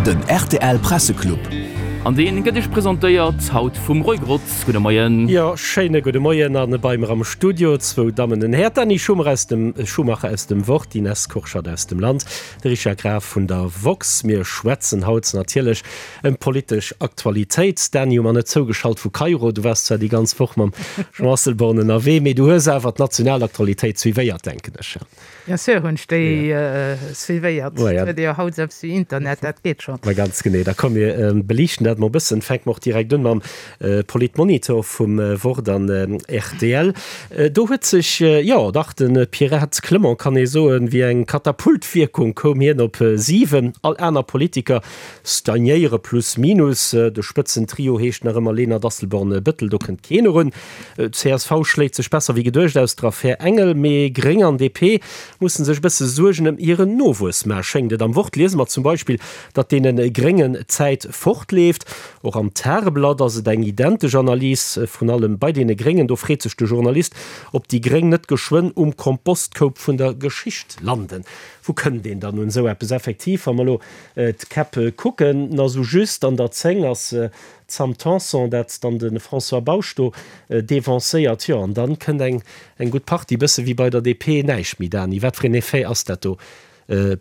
Den rtl Presseclub. An deen gëtt iech presentéiert haut vum Roy Grotz. Gudde Moien. Jo, schéine gudde Moien an bei mer am Studio zwou Dammen, den Här Dany Schumacher aus dem Schumacher aus dem Wort, d'Ines Kurschat aus dem Land, de Richard Graf vun der woxx. Mir schwätzen haut natierlech ëm d'politesch Aktualitéit. Dany, hu mer net zougeschalt vu Kairo, du waars zwar déi ganz Woch mam Jean Asselborn ënnerwee, mee du hues awer d'national Aktualitéit suivéiert, denken ech. Bien sûr hunn ech déi suivéiert. Et huet ee jo haut selbst wéi Internet, dat geet schonn. Ma ganz genee. Da komm mir beliichten dat mol e bëssen. Fänke mer och direkt un mam Politmonitor vum Wort an rtl. Do huet sech, jo dach, de Pierrette Clement, kann ee soen, wéi eng Katapultwierkung koum hien op 7. All aner Politiker stagnéiere plus minus. De Spëtzentrio heescht nach ëmmer Lenert, Asselborn, Bettel, do kënnt keen erun. Csv schléit sech besser wéi geduecht aus der Affär Engel, mee Gréng an DP musse sech e bësse Suergen ëm hiren Nowuess maachen, schéngt et. Am Wort liese mer zum Beispill, datt deene Gréngen d'Zäit fortleeft. Och am Tageblatt ass et eng identesch Analys, vrun allem bei deene Gréngen. Do freet sech de Journalist, ob déi Gréng net geschwënn um Kompostkoup vun der Geschicht landen. Wou kënnt een dann un esou eppes? Effektiv, wa mer elo d'Käpp kucken, na sou just an der 10 ass D'Sam Tanson, dat dann de François Bausch do devancéiert, jo, an dann kënnt eng eng gutt Partie, bësse wéi bei der DP, näischt méi. Dany, wat fir een Effet ass dat do?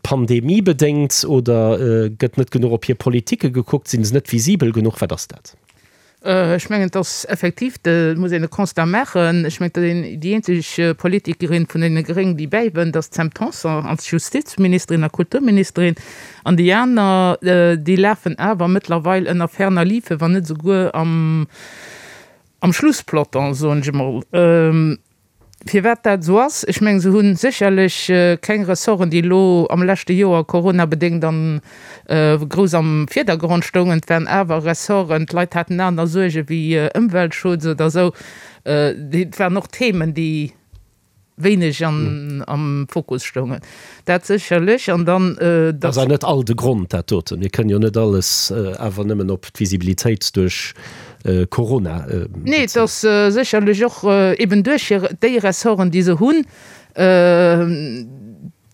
Pandemiebedéngt oder gëtt net genuch op hir Politike gekuckt, sinn se net visibel genuch, wat ass dat? Ech mengen, et ass effektiv, et muss een e Constat maachen. Ech mengen, datt een déi eenzeg Politikerin vun deene Gréng, déi bäiwënnt, ass d'Sam Tanson als Justizministerin a Kulturministerin. An déi aner, déi lafen awer mëttlerweil ënner ferner liefen, wann net esouguer am, am Schlusspeloton, soen ech emol. Firwat dat esou ass, ech mengen, se hu sécherlech keng Ressorten, déi elo am leschte Joer coronabedéngt an grouss am Virdergrond stoungen. Et waren awer Ressorten, d'Leit haten aner Suerge wéi Ëmweltschutz oder esou. Et waren och Themen, déi wéineg am Fokus stoungen. Dat sécherlech. An dann, datt. Ass awer net all de Grond, dat doten. Mir kënnen jo net alles awer nëmmen op d'Visibilitéit duerch Corona bezéien. Nee, et ass sécherlech och eben duerch hir, déi Ressorten, déi se hunn,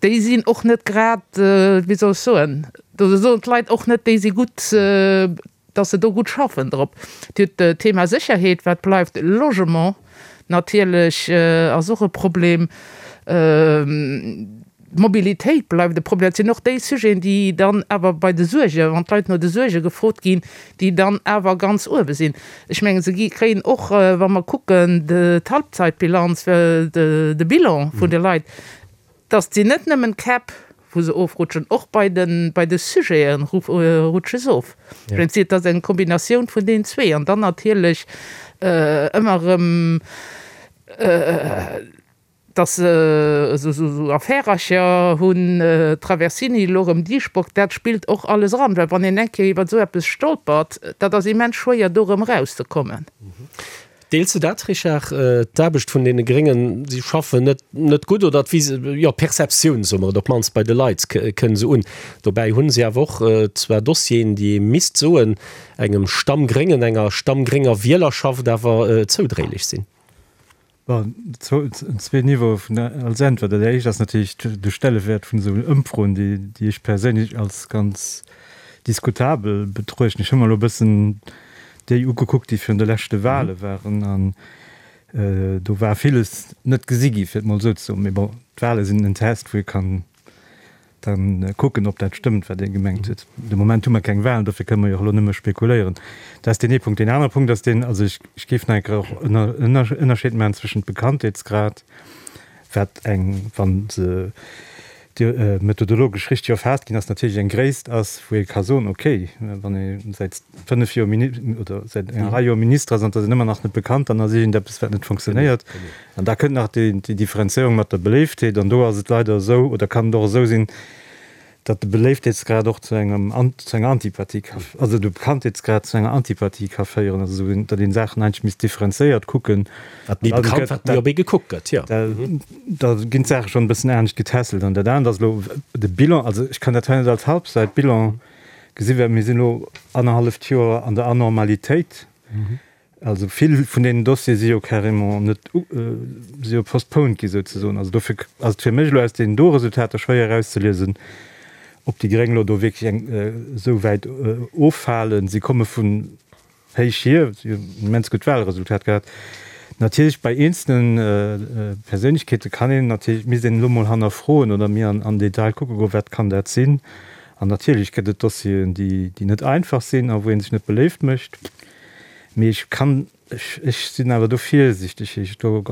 déi sinn och net grad, wéi soll ech soen, do soen d'Leit och net, déi si gutt, dass se do gutt schaffen drop. Dir hutt d'Thema Sécherheet, wat bleift, Logement natierlech ass och e Problem, d'Mobilitéit bleift e Problem. Dat sinn och déi Sujeten, déi dann awer bei de Suergen, wann d'Leit no de Suerge gefrot ginn, déi dann awer ganz uewe sinn. Ech mengen, se gi kréien och, wa mer kucken, d'Halbzeitbilanz, de Bilan vun de Leit, Dass sinn net nëmmen d'Käpp, wou se ofrutschen, och bei de bei de Sujete rutsche se of. Ech mengen, et ass eng Kombinatioun vun deenen zwee. An dann natierlech ëmmer erëm, dass se esou Affärercher hunn, Traversini, elo erëm Dieschbourg, dat spillt och alles eran. Well wann een eng Kéier iwwer esou eppes stolpert, dat ass immens schwéier, do erëm erauszekommen. Deels de dat, Richard, d'Aarbecht vun deene Gréngen, si schaffen net net gutt oder d'Vis, jo, d'Perceptioun, soe mer et, op d'mannst bei de Leit kënn se un. Dobäi hu si awer och zwar Dossieren, déi ee misst soen, engem Stammgréngen, enger stammgrénger Wielerschaft awer zoudréilech sinn. Bon, zwee Niveaue vun als Äntwert. Dat éischt ass natierlech de Stellewäert vun esou Ëmfroen, déi déi ech perséinlech als ganz diskutabel betruechten. Ech hu mer elo e bëssen déi ugekuckt, déi virun de leschte Wahle waren, an do war villes net gesi gi, fir et mol esou ze soen. Mee bon, d'Wahle sinn en Test, wou ee kann da kucken, ob dat stëmmt, wat ee gemengt huet. De Moment hu mer keng Wahlen, dofir kënne mer jo och elo nëmme spekuléieren. Dat ass deen ee Punkt. Deen anere Punkt ass deen, also ech géif nach eng Kéier och en Ënnerscheed maachen zwëschent Bekanntheetsgrad, wat eng, wa se methodologesch richteg erfaasst ginn ass, natierlech eng Gréisst ass, wou ee ka soen, okay, wann ee säit 5 Joer oder säit enger Rei Joer Minister ass an et ass een ëmmer nach net bekannt, dann ass iergendeppes, wat net funktionéiert. An da kënnt nach déi Differenzéierung mat der Beléiftheet an do ass et leider esou oder kann et och esou sinn, datt de Beléiftheetsgrad och zu engem zu enger Antipathie ka, also de Bekanntheetsgrad zu enger Antipathie ka féieren, also esou datt een Saachen eigentlech misst differenzéiert kucken. Wat méi bekannt, wat méi op ee gekuckt gëtt, jo. Da ginn d'Saache schonn e bëssen anescht getässelt. An dat anert ass elo de Bilan, also ech kann dat hei net als Halbzeitbilan gesinn, well mir sinn elo annerhalleft Joer an der Anormalitéit. Also vill vun deenen Dossiere si jo carrément net, si jo postponed gi souzesoen. Also dofir ass et fir mech elo aus deenen do Resultater schwéier erauszeliesen, Ob déi Gréng elo do wierklech eng esou wäit offalen, si komme vun héich hier, si hunn en immens gutt Wahlresultat gehat. Natierlech bei eenzelne Perséinlechkeete kann een natierlech, misst een elo mol hannerfroen oder méi an Detail kucke goen, wat kann dat sinn. An natierlech gëtt et Dossieren, déi net einfach sinn a wou ee sech net beléift mécht. Mee ech kann Ech sinn awer do virsichteg, fir do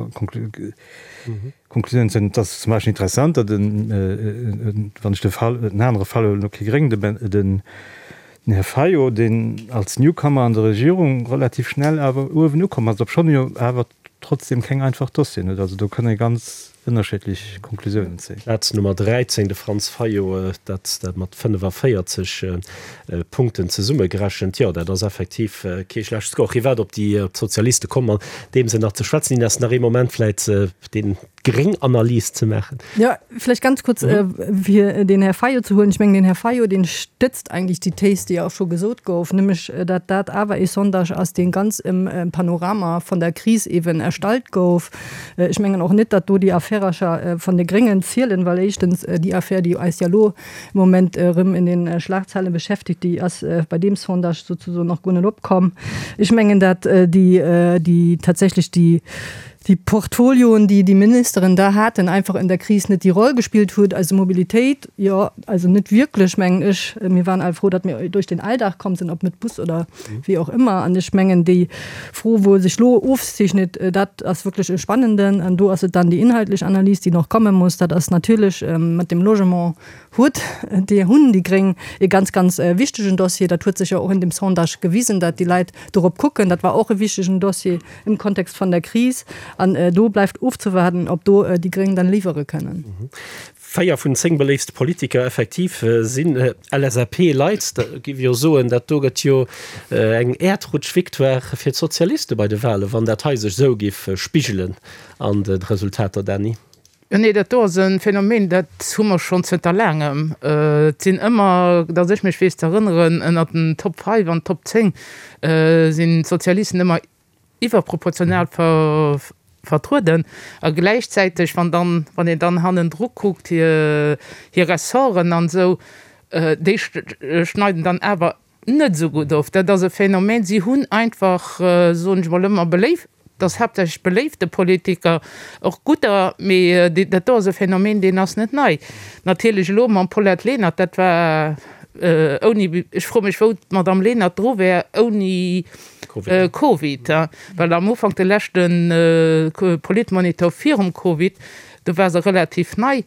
Konklusiounen ze zéien. Et ass zum Beispill interessant, datt en, wann ech de Fall, en anere Fall huelen, elo kee Gréng, den Här Fayot, deen als Newcomer an der Regierung relativ schnell awer uewen ukomm ass, obschonn e jo awer trotzdem keng einfach Dossieren huet. Also do kann ee ganz ënnerschiddlech Konklusiounen zéien. Plaz Nummer 13, de Franz Fayot, dat dat mat 45 Punkten zesummegerechent. Jo, dat ass effektiv kee schlecht Score. Firwat op déi d'Sozialiste kommen, an deem Sënn nach ze schwätzen. Ines, nach ee Moment vläit deen gréng Analys ze maachen. Jo, vläicht ganz kuerz, fir den Här Fayot ze huelen. Ech mengen, den Här Fayot, dee stëtzt eigentlech déi Thes, déi och scho gesot gouf, nämlech datt dat awer ee Sondage ass, dee ganz im Panorama von der Kris eeben erstallt gouf. Ech mengen och net, datt do déi Affärercher von de Gréngen zielen, well éischtens déi Affär, déi eis ja elo im Moment erëm in den Schlagzeilen beschäftigt, déi ass bei deem Sondage sozusagen nach guer net opkomm. Ech mengen, datt déi, déi tatsächlech déi, déi Portfolioen, déi déi Ministeren da haten, einfach in der Kris net déi Roll gespielt huet. Also Mobilitéit, jo, also net wierklech, mengen ech. Mir waren all frou, datt mir duerch den Alldag komm sinn, ob mit Bus oder wéi och ëmmer. An ech mengen, déi Fro, wou sech elo ofzeechnet, dat ass wierklech e spannenden. An do ass et dann déi inhaltlech Analys, déi nach komme muss. Dat ass natierlech mat dem Logement huet déi hunn déi Gréng e ganz, ganz wichtegen Dossier. Dat huet sech jo och in dem Sondage gewisen, dat déi Leit dorop kucken. Dat war och e wichtegen Dossier im Kontext von der Kris. An do bleift ofzewaarden, ob do déi Gréng dann liwwere kënnen. 4 vun 10 beléifste Politiker effektiv sinn LSAP-Leit. Da géif ech jo soen, dat do gëtt jo eng Äerdrutsch-Victoire fir d'Sozialiste bei de Wahlen, wann dat hei sech esou géif spigelen an de Resultater, Dany. Jo, nee, dat do ass e Phänomen, dat hu mer schonn zënter laangem. Et sinn ëmmer, datt ech mech weess ze erënneren, ënnert den Top 5 an Top 10 sinn d'Sozialisten ëmmer iwwerproportional vertrueden a gläichzäiteg, wann dann, wann een dann hannendru kuckt, hir Ressorten an esou, déi schneiden dann awer net esou gutt of. Dat ass e Phänomen. Si hunn einfach, soen ech mol ëmmer, beléif, dat ass haaptsächlech beléifte Politiker, och gudder, mee dat do ass e Phänomen, deen ass net nei. Natierlech elo mam Paulette Lenert, dat war ouni, ech froe mech, wou d'Madame Lenert dru wär ouni Covid, well am Ufank, de leschte Politmonitor virum Covid, do war se relativ nei,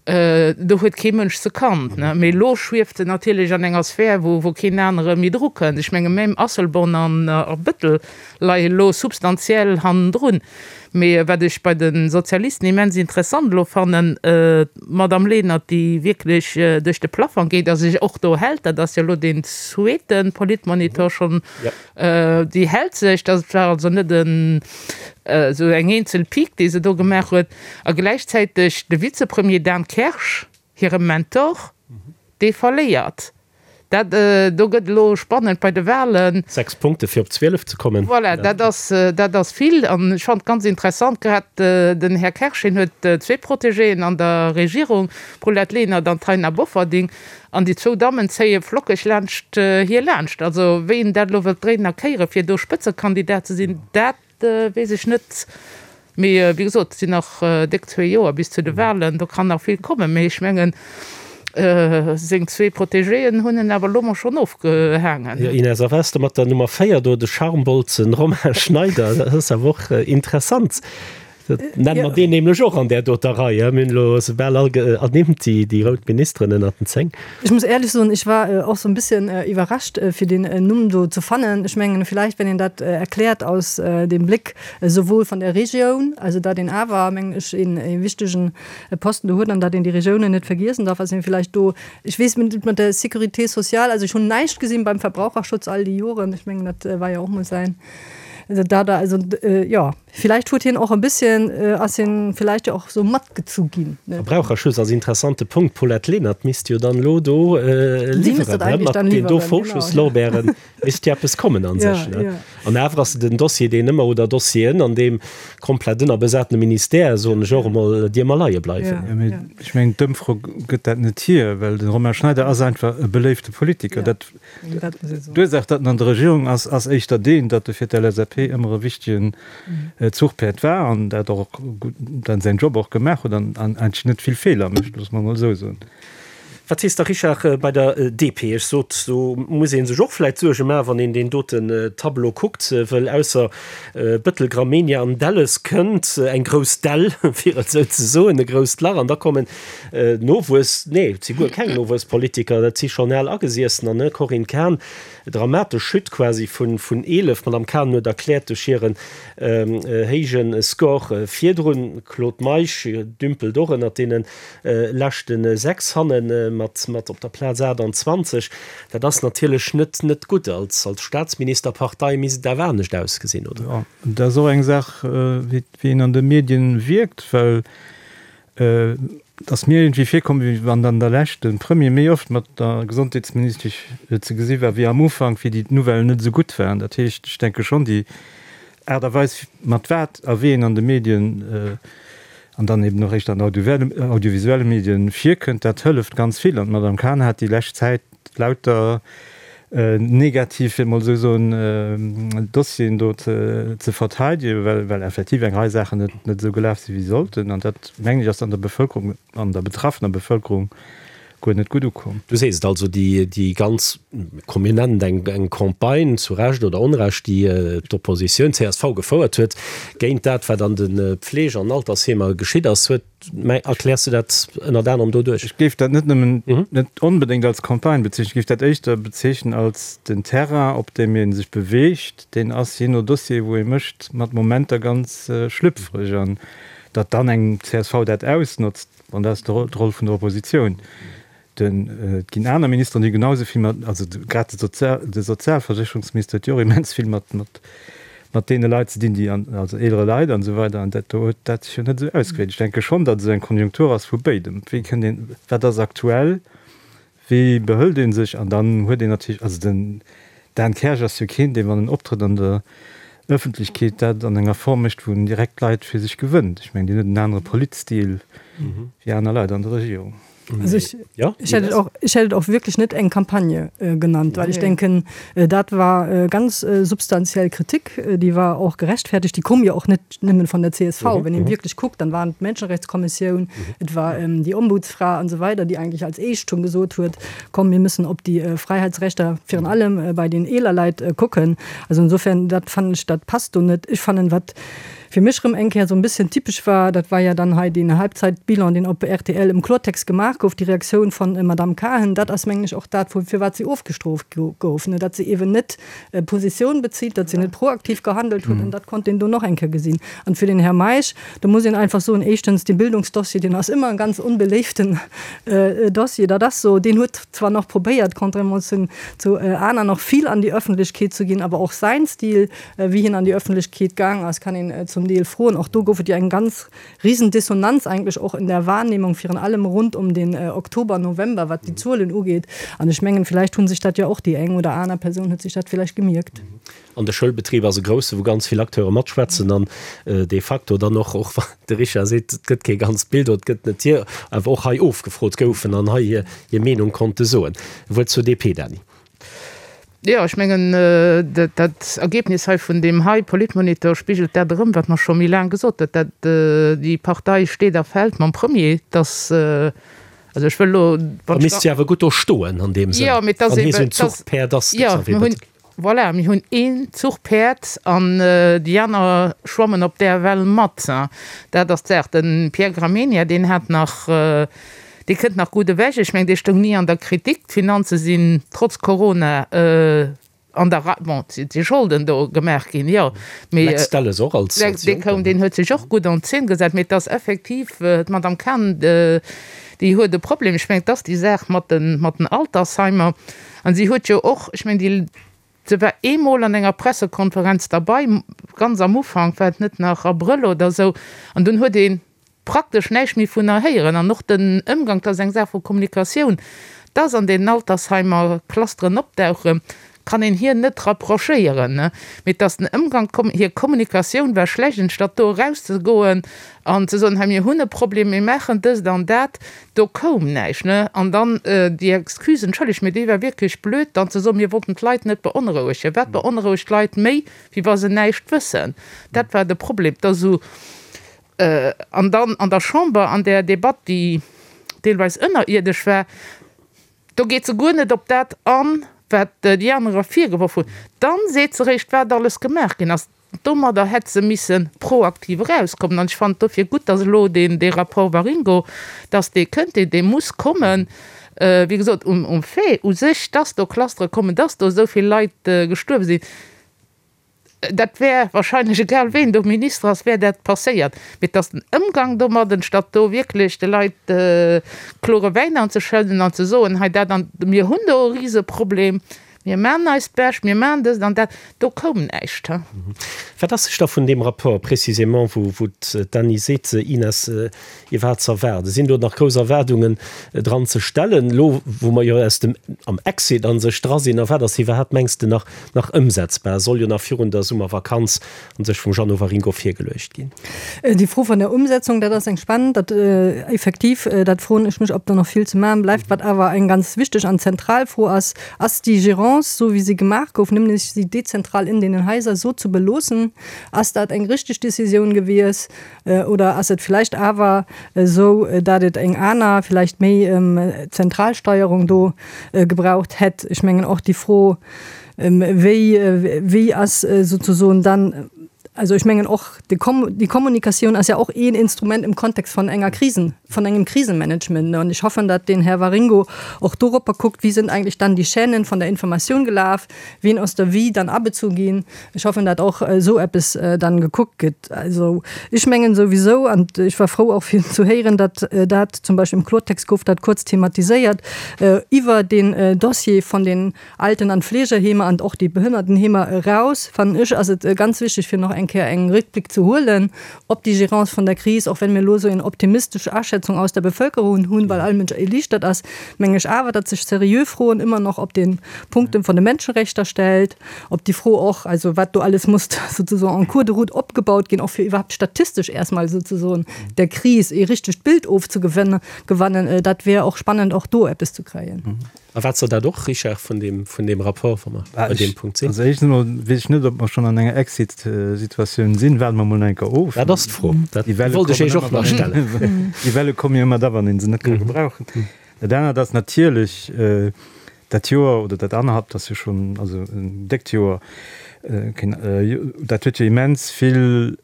do huet kee Mënsch se kannt. Mee elo schwieft se natierlech an enger Sphär, wou keen anere méi dru kënnt. Ech menge même Asselborn an Bettel leie elo substantiell hannendrun. Mee wat ech bei de Sozialisten immens interessant elo fannen, d'Madame Lenert, déi wierklech duerch de Plafang geet a sech och do hält, dat ass jo elo deen zweete Politmonitor schonn, déi hält sech, dat war also net esou eng eenzel Pique, déi se do gemaach huet, a gläichzäiteg de Vizepremier Dan Kersch, hire Mentor, dee verléiert. Dat do gëtt elo spannend bei de Wahlen. 6 Punkte fir op 12 ze kommen. Voilà, dat ass, dat ass vill. An ech fannen et ganz interessant, grad den Här Kersch, hien huet zwee Protégéen an der Regierung, d'Paulette Lenert an d'Taina Bofferding. An déi zwou Dammen zéie flockeg laanscht hie laanscht. Also wéi en dat elo wëllt dréinen a kéieren, fir do Spëtzekandidat ze sinn, dat Weess ech net. Mee wéi gesot, et sinn nach déck zwee Joer bis zu de Wahlen, do kann nach vill kommen. Mee ech mengen, seng zwee Protégéen hunn en awer elo mol schonn ofgehaangen. Jo, Ines, a wat ass da mat der Nummer 4 do, de Charmbolzen Romain Schneider? Dat ass awer och interessant. Dat nenne mer deen nämlech och an där doter Rei. Mir hunn elo se bal all ernimmt, déi rout Ministeren ënnert den 10. Ech muss éierlech soen, ech war och sou en bisschen iwwerrascht fir deen Numm do ze fannen. Ech mengen vielleicht wenn een dat erkläert aus dem Blick souwuel von der Regioun, also dat een awer mengen ech een ee wichtegen Posten do huet an dat een déi Regiounen net vergiessen darf, ass een vielleicht do, ech weess net mat der Sécurité sociale, also ech hunn näischt gesinn beim Verbraucherschutz all déi Joren, ech mengen dat war jo och mol säin, dat also jo. Vielleicht huet hien och e bisschen, ass hien vielleicht jo och sou matgezu ginn, ne? Verbraucherschutz ass interessante Punkt. D'Paulette Lenert misst jo dann elo do liwweren, ne? Mat den do Vorschusslorbeeren misst jo eppes kommen an sech, ne? An awer ass et en Dossier, deen ëmmer, oder Dossieren, an deem komplett ënnerbesatene Ministère, soen ech och emol, déi ëmmer leie bleiwen. Jo, mee ech mengen, d'Ëmfro gëtt dat net hier, well de Romain Schneider ass einfach e beléifte Politiker. Dat D'Ursaach, datt en an der Regierung ass, ass éischter deen, datt e fir d'LSAP ëmmer e wichtegen Zuchpäerd war an dat och gutt, dann säin Job och gemaach huet an eigentlech net vill Feeler mécht, loosse mer emol esou soen. Wat sees de, Richard, bei der DP? Ech sot, do muss ee sech och vläicht Suerge maachen, wann een deen doten Tableau kuckt, wëll ausser Bëttel, Gramegna an Delles kënnt eng grouss Dell, fir et esou ze soen, e grousst Lach an da kommen Nowuess, nee, et si guer keng Nowuesspolitiker, dat si schonn al Agesiessener, ne? Corinne Cahen, dramatesch Chute quasi vun 11, d'Madame Cahen huet erkläert, duerch hiren héije Score virdrun. Claude Meisch dümpelt och ënnert deene leschte 6 hanne mat op der Plaz 28. Dat ass natierlech net net gutt. Als Staatsministerpartei misst et awer anescht ausgesinn, oder? Jo, dat ass och eng Saach, wéi een an de Medien wierkt, well Et ass mir iergendwéi virkomm, wéi wann an der Lescht de Premier méi oft mat der Gesondheetsministesch ze gesi war wéi am Ufank, wéi déi Nouvellen net esou gutt waren. Dat heescht, ech denke schonn, déi Aart a Weis, mat wat a wéi een an de Medien an dann eben och eréischt an audiovisuelle Medien virkënnt, dat hëlleft ganz vill. An d'Madame Cahen hat déi lescht Zäit lauter negativ, fir et mol esou soen, Dossieren do ze verteidegen, well, well effektiv eng Rei Saachen net, net esou gelaf sinn, wéi se sollten. An dat, mengen ech, ass an der Bevëlkerung, an der betraffener Bevëlkerung guer net gutt ukomm. Du sees et also, déi, déi ganz, komm mir nennen et eng, eng Campagne, zu Recht oder Onrecht, déi d'Oppositioun, csv, gefouert huet géint dat, wat an de Pflege an Altersheemer geschitt ass, huet Mä erkläers du dat ënnert anerem doduerch? Ech géif dat net nëmmen, net onbedéngt als Campagne bezeechnen, ech géif dat éischter bezeechnen als den Terrain, op deem ee sech beweegt, deen ass jee no Dossier, wou ee mécht, mat Momenter ganz schlüpfreg. An datt dann eng csv dat ausnotzt, bon, dat ass d'Roll vun der Oppositioun. Den, et ginn aner Ministeren, déi genau esou vill mat, also grad de Sozial, de Sozialversécherungsminister huet jo och immens vill mat, mat, mat deene Leit ze dinn, déi an, also eelere Leit an esou weider, an dat do huet dat sech jo net esou ausgewierkt. Ech denke schonn, datt et eng Konjunktur ass vu béidem. Wéi kënnt een, wat ass aktuell, wéi behëlt ee sech, an dann huet een natierlech, also den Dan Kersch ass jo keen, dee wann en optrëtt an der Ëffentlechkeet, dat an enger Form mécht, wou en direkt Leit fir sech gewënnt. Ech mengen, deen huet en anere Politstil wéi aner Leit an der Regierung. Also ich, ja, ich hätte auch, ich hätte auch wirklich net eng Kampagne äh, genannt, weil ich denken äh, dat war äh, ganz äh, substantiell Kritik, äh, die war auch gerechtfertigt, die kom ja auch net nëmmen von der CSV. Mhm. Wenn mhm. wirklich guckt, dann waren d'Menschenrechtskommissioun, mhm. et war ähm, die Ombudsfra und so weiter, die eigentlich als éischt schon gesot huet, komm wir müssen op die äh, Freiheitsrechter virun allem äh, bei den eeler Leit äh, gucken. Also insofern dat fand ich dat passt do net. Ich fand wat fir mech rëm eng Kéier esou en bësschen typesch war, dat war ja dann hei deen Halbzeitbilan, deen op rtl im Klortext gemaach gouf, déi Reaktioun von Madame Cahen, dat ass mengen ech och dat, wou firwat si ofgestrooft gouf, ne, datt se eeben net Positioun bezitt, datt se net proaktiv gehandelt huet, an dat konnt een do nach eng Kéier gesinn. An fir den Här Meisch, do muss een einfach soen, éischtens, dee Bildungsdossier, deen ass ëmmer e ganz onbeléiften Dossier, dat ass esou, deen huet zwar nach probéiert, contrairement zu zu aner, nach vill an déi Öffentlechkeet ze ginn, awer och säin Stil, Wéi hien an déi Öffentlechkeet gaang ass, kann een zum Deel froen. Och do gouf et jo eng ganz risen Dissonanz eigentlech och in der Wahrnehmung, virun allem rund um den Oktober, November, wat déi Zuelen ugeet. An ech mengen, villäicht hu sech dat jo och déi eng oder aner Persoun huet sech dat villäicht gemierkt. An de Schoulbetrib ass e grousse, wou ganz vill Acteure matschwätzen an de facto dann och, och wann de Richard seet, et gëtt kee ganzt Bild oder et gëtt net hier, awer och hei ofgefrot goufen an hei hir hir Meenung konnte soen. E Wuert zur DP, Dany. Jo, ech mengen, dat Ergebnis hei vun deem hei Politmonitor spigelt dat erëm, wat mer scho méi laang gesot huet, dat déi Partei steet a fält mam Premier, dass, also ech wëll elo, Da misst si awer gutt do stoen an deem Sënn, wann hie sou en Zuchpäerd ass, de Xavier Bettel. Voilà, mir hunn een Zuchpäerd an déi aner schwammen op där Well mat. Dat ass d'Saach. De Pierre Gramegna, deen hat nach, Dee kënnt nach gutt ewech. Ech mengen, dee stoung ni an der Kritik. D'Finanze sinn trotz Corona an der Rei. Bon, et si Scholden do gemaach ginn, jo, mee. Lex Delles och als Lex, dee koum, deen huet sech och gutt an d'Zeen gesat. Mee et ass effektiv, d'Madame Cahen, déi huet e Problem. Ech mengen, et ass déi Saach mat den, mat den Altersheimer. An si huet jo och, ech mengen, déi, Se war eemol an enger Pressekonferenz derbei. ganz am Ufank, war et net nach Abrëll oder esou, an dunn huet ee praktesch näischt méi vun héieren. An och den Ëmgang, dat ass eng Saach vu Kommunikatioun, dass an deenen Altersheimer Clusteren opdauchen, kann een hir net reprochéieren, mee dass den Ëmgang, hir Kommunikatioun war schlecht, anstatt do erauszegoen an ze soen, hei mir hunn e Problem, mir maachen dëst an dat, do koum näischt. An dann déi Excuse, entschëllegt, mee déi war wierklech blöd, dann ze soen, mir wollten d'Leit net beonrouegen. Wat beonrouegt d'Leit méi, wéi wa se näischt wëssen? Dat war de Problem, dass esou, an dann an der Chamber an där Debatt, déi deelweis ënnerierdesch war, Do geet se guer net op dat an, wat déi anerer virgeworf hunn. Dann seet se eréischt, wat alles gemaach ginn ass. Domadder hätt se misse proaktiv erauskommen. An ech fannen et dofir gutt, dass elo deen, dee Rapport Waringo, dass dee kënnt. Dee, dee muss kommen. Wéi gesot, um, um Fait u sech, dass do Clustere kommen, dass do esou vill Leit gestuerwe sinn, Dat wär wahrscheinlech, egal ween do Minister ass, wär dat passéiert. Mee et ass den Ëmgang domadden, statt do wierklech de Leit klore Wäin anzeschëdden an ze soen, hei dat an, mir hunn do e Riseproblem, mir maachen eist Bescht, mir maachen dëst an dat, do koum näischt. Wat ass sech da vun deem Rapport précisément, wou d'Anny seet, Ines, iwwerhaapt ze erwaarden? Sinn do nach grouss Erwaardungen dran ze stellen, elo wou mer jo aus dem, am Exit a sech dra sinn? A wat ass iwwerhaapt, mengs de, nach, nach ëmsetzbar? Soll jo nach virun der Summervakanz a sech vum Jeannot Waringo virgeluecht ginn. Déi Fro vun der Umsetzung, dat ass eng spannend. Dat effektiv, dat froen ech mech, ob do nach vill ze maachen bleift. Wat awer eng ganz wichteg an zentral Fro ass, Ass déi Gérance, esou wéi se gemaach gouf, nämlech si dezentral in deenen Haiser esou ze beloossen, ass dat eng richteg Décisioun gewies? Oder ass et vläicht awer esou, dat et eng aner, vläicht méi zentral Steierung do gebraucht hätt? Ech mengen och déi Fro, wéi, wéi ass souzesoen dann, also ech mengen och déi Kommunikatioun ass ja och een Instrument im Kontext von enger Krisen, von engem Krisenmanagement. An ech hoffen, dat den Här Waringo och doropper kuckt, wie sind eigentlich dann die Chaînen von der Information gelaf, wien ass da wéi dann abezu ginn. Ech hoffen, dat och esou eppes dann gekuckt gëtt. Also ech mengen souwisou, an ech war frou och fir zu héieren, datt dat zum Beispill im Klortext gouf dat kuerz thematiséiert, iwwer deen Dossier von den Alten an Pflegeheemer an och déi Behënnertenheemer eraus, fannen ech, ass et ganz wichteg fir nach eng Kéier eng Réckblick ze huelen op déi Gérance von der Kris, och wenn mir elo esou eng optimistesch Aschätzung aus der Bevölkerung hunn, well all Mënsch erliichtert ass, meng ech awer, datt sech seriö Froen ëmmer nach op den Punkten von de Menschenrechter stellt, op déi Fro och, also wat do alles muss sozusagen en cours de route opgebaut ginn, och fir iwwerhaapt statistesch erstmal sozusagen der Kris ee richtegt Bild ofzegewannen, dat wär och spannend och do eppes ze kréien. A wat soll dat och, Richard, vun deem, vun deem Rapport, wa mer bei deem Punkt sinn? Also éischtens emol weess ech net, ob mer schonn an enger Exit-Situatioun sinn. Waarde mer emol nach eng Kéier of. Dat ass d'Fro. Dat wollt ech Iech och nach stellen. Déi Welle komme jo ëmmer da, wann ee se net ka gebrauchen. Dat anert ass natierlech, dat Joer oder dat annerhalbt ass jo schonn, also en déckt Joer, dat huet jo immens vill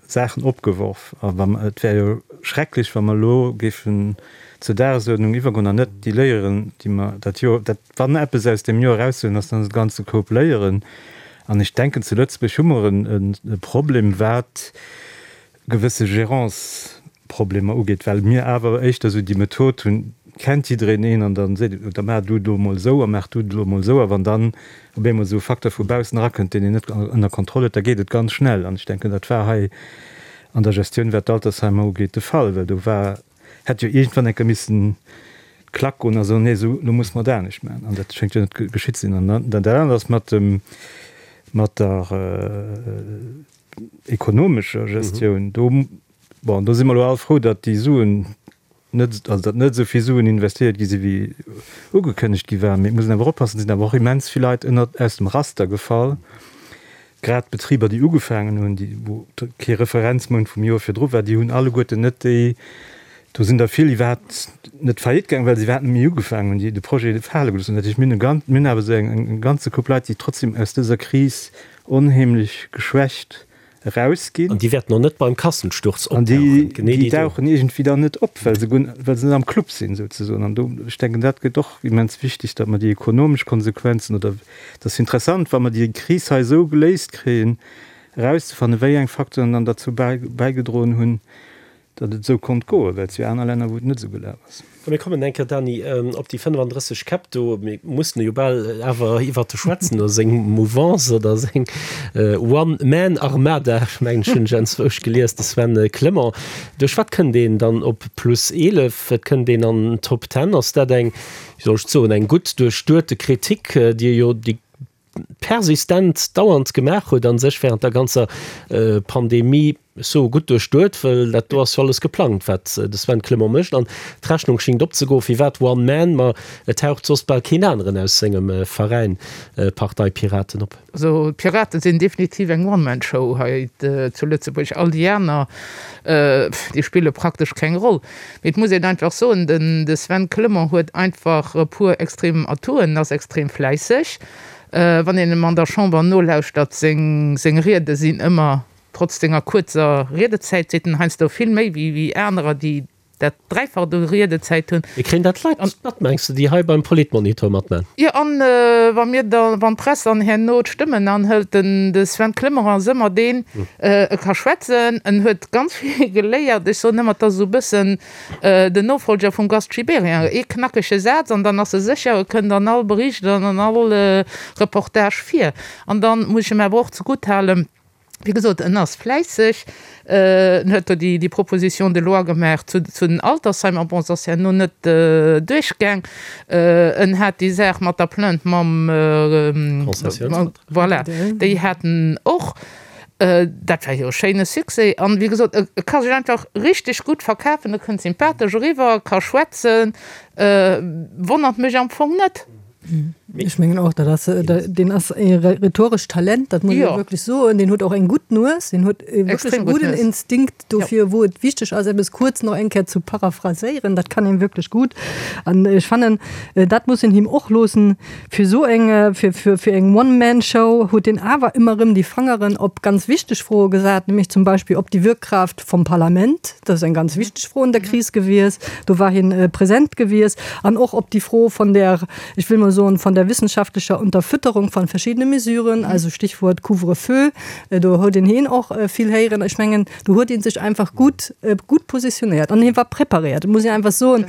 Saachen opgeworf. A wa mer, et wär jo schrecklech, wa mer elo géifen zur Dagesuerdnung iwwergoen an net déi Léieren, déi mer dat Joer, dat, wann eppes aus deem Joer eraushuelen ass, dann ass et e ganze Koup Léieren. An ech denken, zu Lëtzebuerg hu mer e Problem, wat gewësse Gérance-Problemer ugeet, well mir awer éischter esou déi Method hunn, kennt jiddereen een an da seet een, da maach du do emol esou a maach du do emol esou. A wann dann op eemol esou e Facteur vu baussen erakënnt, deen een net ënner Kontroll huet, da geet et ganz schnell. An ech denken, dat war hei an der Gestioun, wat d'Altersheimer ugeet, de Fall, well do war, hätt jo iergendwann eng Kéier missen d'Klack goen a soen, nee, esou, elo musse mer et anescht maachen. An dat schéngt jo net geschitt ze sinn. An dann dat anert ass mat dem, mat der ekonomescher Gestioun. Do, bon, do si mer elo all frou, datt déi Suen net, also datt net esou vill Suen investéiert gi si wéi ugekënnegt gi war. Mee et muss een awer oppassen, et sinn awer och immens vill Leit ënnert, aus dem Raster gefall. Grad d'Betriber, déi ugefaangen hunn, déi, wou kee Referenzmount vum Joer virdru war, déi hunn alleguerten net déi, do sinn der vill iwwerhaapt net faillite gaangen, well se iwwerhaapt net méi ugefaangen hunn, déi de Projet fale gelooss hunn. Dat heescht, mir hunn e ganz, mir hunn awer esou eng, eng ganze Koup Leit, déi trotzdem aus dëser Kris onheemlech geschwächt erausginn. An déi wäerten och net beim Kassensturz opdauchen. An déi, déi dauchen iergendwéi dann net op, well se guer, well se net am Club sinn souzesoen. An do, ech denken, dat gëtt och immens wichteg, datt mer déi ekonomesch Konsequenzen oder, et ass interessant, wa mer déi Kris hei esou geléist kréien, erauszefannen, wéi eng Facteuren dann derzou bäigedroen hunn. datt et esou konnt goen, well et si jo aner Länner, wou et net esou gelaf ass. A mir kommen eng Kéier, Dany, op déi 35 Käpp do. Mir mussen jo bal awer iwwert e schwätzen, oder seng Mouvance oder seng One-Man-Armada, ech mengen, ech hunn ech enzwousch gelies, de Sven Clement. Duerch wat kënnt een dann op plus 11? Et kënnt een an d'Top Ten. Ass dat eng, wéi soll ech soen, eng gutt duerchduete Kritik, déi e jo déi persistent dauernd gemaach huet a sech während der ganzer Pandemie sou gutt duerchduet, well dat do ass jo alles geplangt, wat de Sven Clement mécht an d'Rechnung schingt opzegoen. Firwat One Man? Ma et taucht soss bal keen aneren aus sengem Veräin, Partei Piraten, op. Also d'Piraten sinn definitiv eng One-Man-Show hei zu Lëtzebuerg. All déi aner, déi spille praktesch keng Roll. Mee et muss een einfach soen, den de Sven Clement huet einfach e puer extrem Atouen, ass extrem fläisseg. Wann een em an der Chamber nolauschtert, seng seng Riede sinn ëmmer, trotz senger kuerzer Riedezäit, seet en heiansdo vill méi wéi wéi anerer, déi dat Dräifacht u Riedezäit hunn. Mee kréien dat d'Leit mat, mengs de, déi hei beim Politmonitor matman? Jo, an wa mir da, wann d'Press dann herno d'Stëmmen anhëlt, den de Sven Clement ass ëmmer deen, e ka schwätzen, en huet ganz vill geléiert. Ech soen ëmmer, et ass esou e bëssen den Nofolger vum Gast Gibéryen, ee knackege Saz an dann ass e sécher, e kënnt an all Bericht an an all Reportage vir. An dann muss ech em awer och zegutt halen, wéi gesot, en ass fläisseg, en huet do déi Proposition de loi gemaach zu den Altersheimer, bon, se ass herno net duerchgaang. En hat déi Saach mat der Plainte mam, voilà, déi hat en och. Dat war jo e schéine Succès. An, wéi gesot, e ka sech einfach richteg gutt verkafen, e kënnt sympathesch eriwwer, e ka schwätzen, wonnert mech am Fong net. Ech mengen och, dat ass, deen ass e rhetorescht Talent, dat muss ee wierklech soen. Deen huet och eng gutt Nues, deen huet e wierklech gudden Instinkt dofir, wou et wichteg ass, eppes kuerz nach eng Kéier ze paraphraséieren. Dat kann hien wierklech gutt. An ech fannen, dat muss een him och loossen, Fir esou eng, fir, fir, fir eng One-Man-Show huet en awer ëmmer erëm déi Fangeren op ganz wichteg Froe gesat, nämlech zum Beispill op déi Wirkkraft vum Parlament, dat ass eng ganz wichteg Fro an der Kris gewies, do war hien present gewies, an och op déi Fro von der, ech wëll mol soen, von der wissenschaftlicher Unterfütterung von verschiedene Mesuren, also Stichwort Couvre-feu, do huet een hien och vill héieren. Ech mengen, do huet ee sech einfach gutt, gutt positionéiert an hie war preparéiert, muss een einfach soen.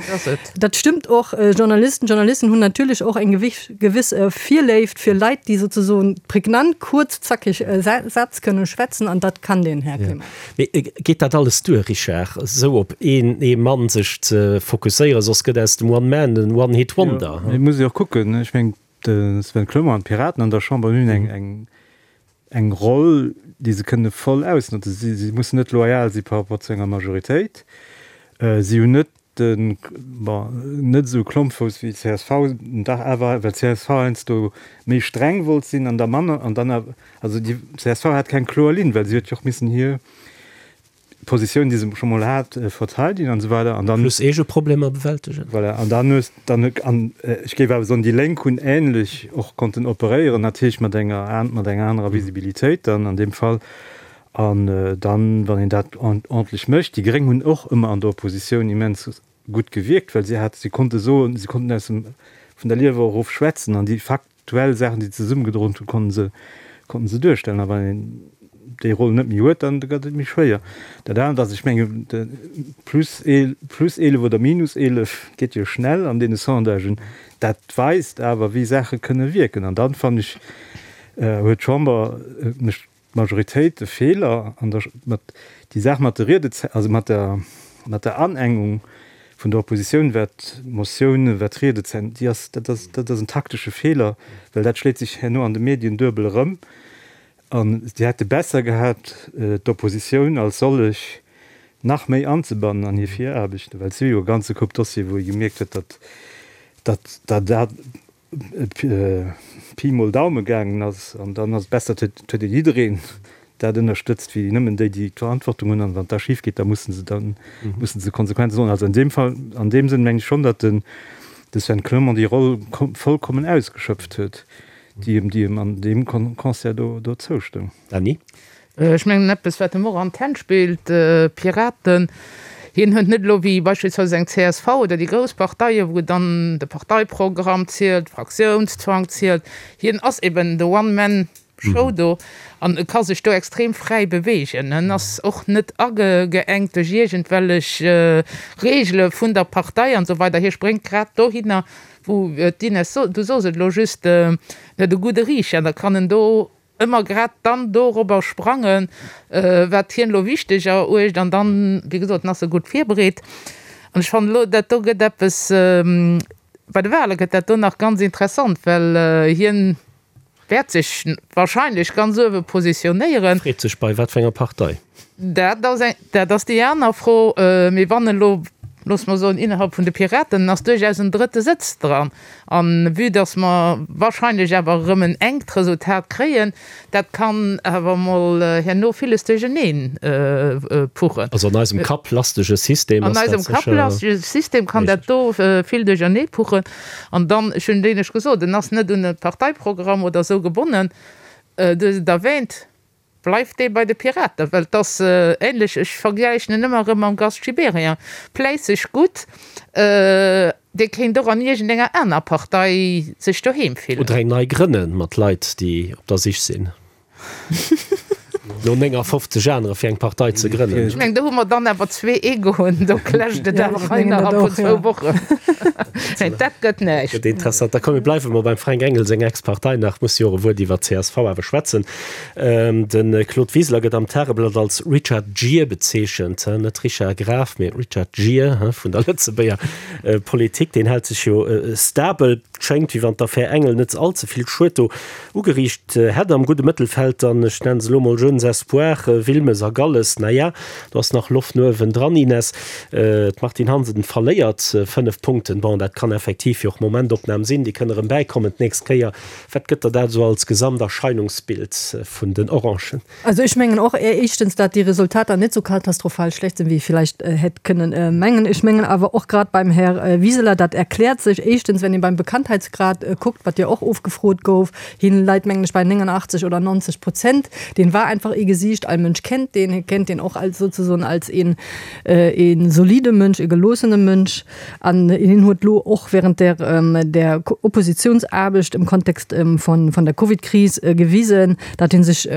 Dat stëmmt och. Journalisten, Journalisten hunn natierlech och eng gewiss Virléift fir Leit, déi souzesoen prägnant, kuerz, zackeg Sätz kënne schwätzen, an dat kann den Här Clement. Mee geet dat alles duer, Richard, esou op een ee Mann sech ze fokusséieren? Soss gëtt aus dem One Man en One Hit Wonder. Jo, mee et muss ee och kucken, ech mengen, de Sven Clement an d'Piraten an der Chamber hunn eng eng Roll, déi se kënne voll ausnotzen. Si si mussen net loyal si par rapport zu enger Majoritéit. Si hunn net de, bon, net esou Klompfouss wéi csv, dach awer, well csv heiansdo méi streng wollt sinn an da manner, an dann awer, also déi csv hat keng kloer Linn, well si huet jo och missen hir Positioun, déi se scho mol hat, verteidegen an esou weider. An dann. Plus eege Problemer bewältegen. Voilà, an dann hues dann, an ech géif awer soen, déi Lénk hunn ähnlech och konnten operéieren, natierlech mat enger, mat enger anerer Visibilitéit dann an deem Fall. An dann, wann een dat ordentlech mécht, déi Gréng hunn och ëmmer an der Oppositioun immens gutt gewierkt, well si hat, si konnte soen, si konnten aus dem, vun der Liewer erof schwätzen an déi faktuell Saachen, déi se zesummegedroen hunn, konnte se, konnten se duerstellen. A wann een déi Roll net méi huet, dann gëtt et méi schwéier. Dat anert ass, ech mengen, de plus plus 11 oder minus 11 geet jo schnell an deene Sondagen. Dat weist awer, wéi Saache kënne wierken. An dann, fannen ech, huet d'Chamber, mécht d'Majoritéit e Feeler an der mat déi Saach mat de Riedezäit, also mat der mat der Anengung vun der Oppositioun, wat d'Motiounen, wat d'Riedezäiten, déi ass, dat ass, dat ass en taktesche Feeler, well dat schléit sech herno an de Medien duebel erëm. An si hätte besser gehat, d'Oppositioun als sollech nach méi anzebannen an hir Viraarbechten, well et si jo e ganze Koup Dossiere wou ee gemierkt huet, datt datt dat Pi mol Daume gaangen ass, an dann ass et besser, et huet ee jiddereen dat ënnerstëtzt, wéi nëmmen déi, déi d'Verantwortung hunn. An wann et da schif geet, da mussen se dann mussen se Konsequenzen droen. Also an deem Fall, an deem Sënn meng ech schonn, datt den de Sven Clement déi Roll vollkommen ausgeschöpft huet, déi em déi em an deem Concert do do zoustoung. Dany? Ech mengen, eppes, wat em och an d'Hänn spillt, Piraten, hien huet net elo wéi beispillsweis eng csv oder déi grouss Parteien, wou dann de Parteiprogramm zielt, Fraktiounszwang zielt. Hien ass eben de One-Man. Show do an e ka sech do extrem fräi beweegen. En ass och net ageengt duerch iergendwellech Reegele vun der Partei an esou weider. Hie spréngt grad dohinner, wou d'Ines, du sos et elo just, en huet e gudde Riicher an da kann en do ëmmer grad dann dorobber sprangen, wat hien elo wichteg eruecht an dann, wéi gesot, en ass e gutt virbereet. An ech fannen elo, dat do gëtt eppes, bei de Wahle gëtt dat do nach ganz interessant, well hien wäert sech wahrscheinlech ganz uewe positionéieren. Freet sech bei wat fir enger Partei? Dat ass eng, dat ass déi aner Fro. Mee wann elo, loosse mer soen, innerhalb vun de Piraten ass duerchaus en drëtte Sëtz dran, a vue datt mer wahrscheinlech awer erëm en enkt Resultat kréien, dat kann awer emol herno villes duercheneen puchen. Also an eisem kapplastege System ass dat sécher. An eisem kapplastege System kann dat do vill duerchernee puchen. An dann, ech hunn et éinescht gesot, en ass net un e Parteiprogramm oder esou gebonnen, du hues et erwähnt, bleift dee bei de Piraten, well et ass ähnlech, ech vergläichen en ëmmer erëm mam Gast Gibéryen, pläisseg gutt, dee kéint och an iergendenger aner Partei sech doheem fillen. Oder eng nei grënne mat Leit, déi op der Sich sinn. No 59 anere fir eng Partei ze grënnen. Ech mengen, do hu mer dann awer zwee Egoen, do clasht et awer hei innerhalb vun zwou Wochen. Nee, dat gëtt näischt. Gëtt interessant. Da komm, mir bleiwe mol beim Fränk Engel seng Ex-Partei nach. Muss jo och e Wuert iwwer csv awer schwätzen. De Claude Wiseler gëtt am Tageblatt als Richard Gere bezeechent, net Richard Graf, mee Richard Gere vun der Lëtzebuerger Politik. Deen hält sech jo stabel. Schéngt, wéi wann d'Affär Engel net all ze vill Schued do Ugeriicht hätt am gudde Mëttelfeld dann, ech nennen se elo mol Jeunes Espoirs, Wilmes a Galles. Na ja, do ass nach Loft no uewen dran, Ines. D'Martine Hansen verléiert 5 Punkten. Bon, dat kann effektiv jo och Momentopnam sinn, déi kënne erëm bäikommen d'nächst Kéier. Wat gëtt der dat esou als Gesamterscheinungsbild vun den Orangen? Also ech mengen och éischtens, dat déi Resultater net sou katastrophal schlecht sinn, wéi ee villäicht hätt kënnen mengen. Ech mengen awer och grad beim Här Wiseler, dat erkläert sech éischtens, wenn ee beim Bekanntheitsgrad kuckt, wat jo och ofgefrot gouf, hien leit, mengen ech, bei 89 oder 90 Prozent. Deen war einfach ee Gesiicht, all Mënsch kennt deen, hie kennt deen och als souzesoen als een ee solide Mënsch, ee geloossene Mënsch. An hien huet elo och während der der Oppositionsaarbecht im Kontext vun vun der Covidkris gewisen, datt hie sech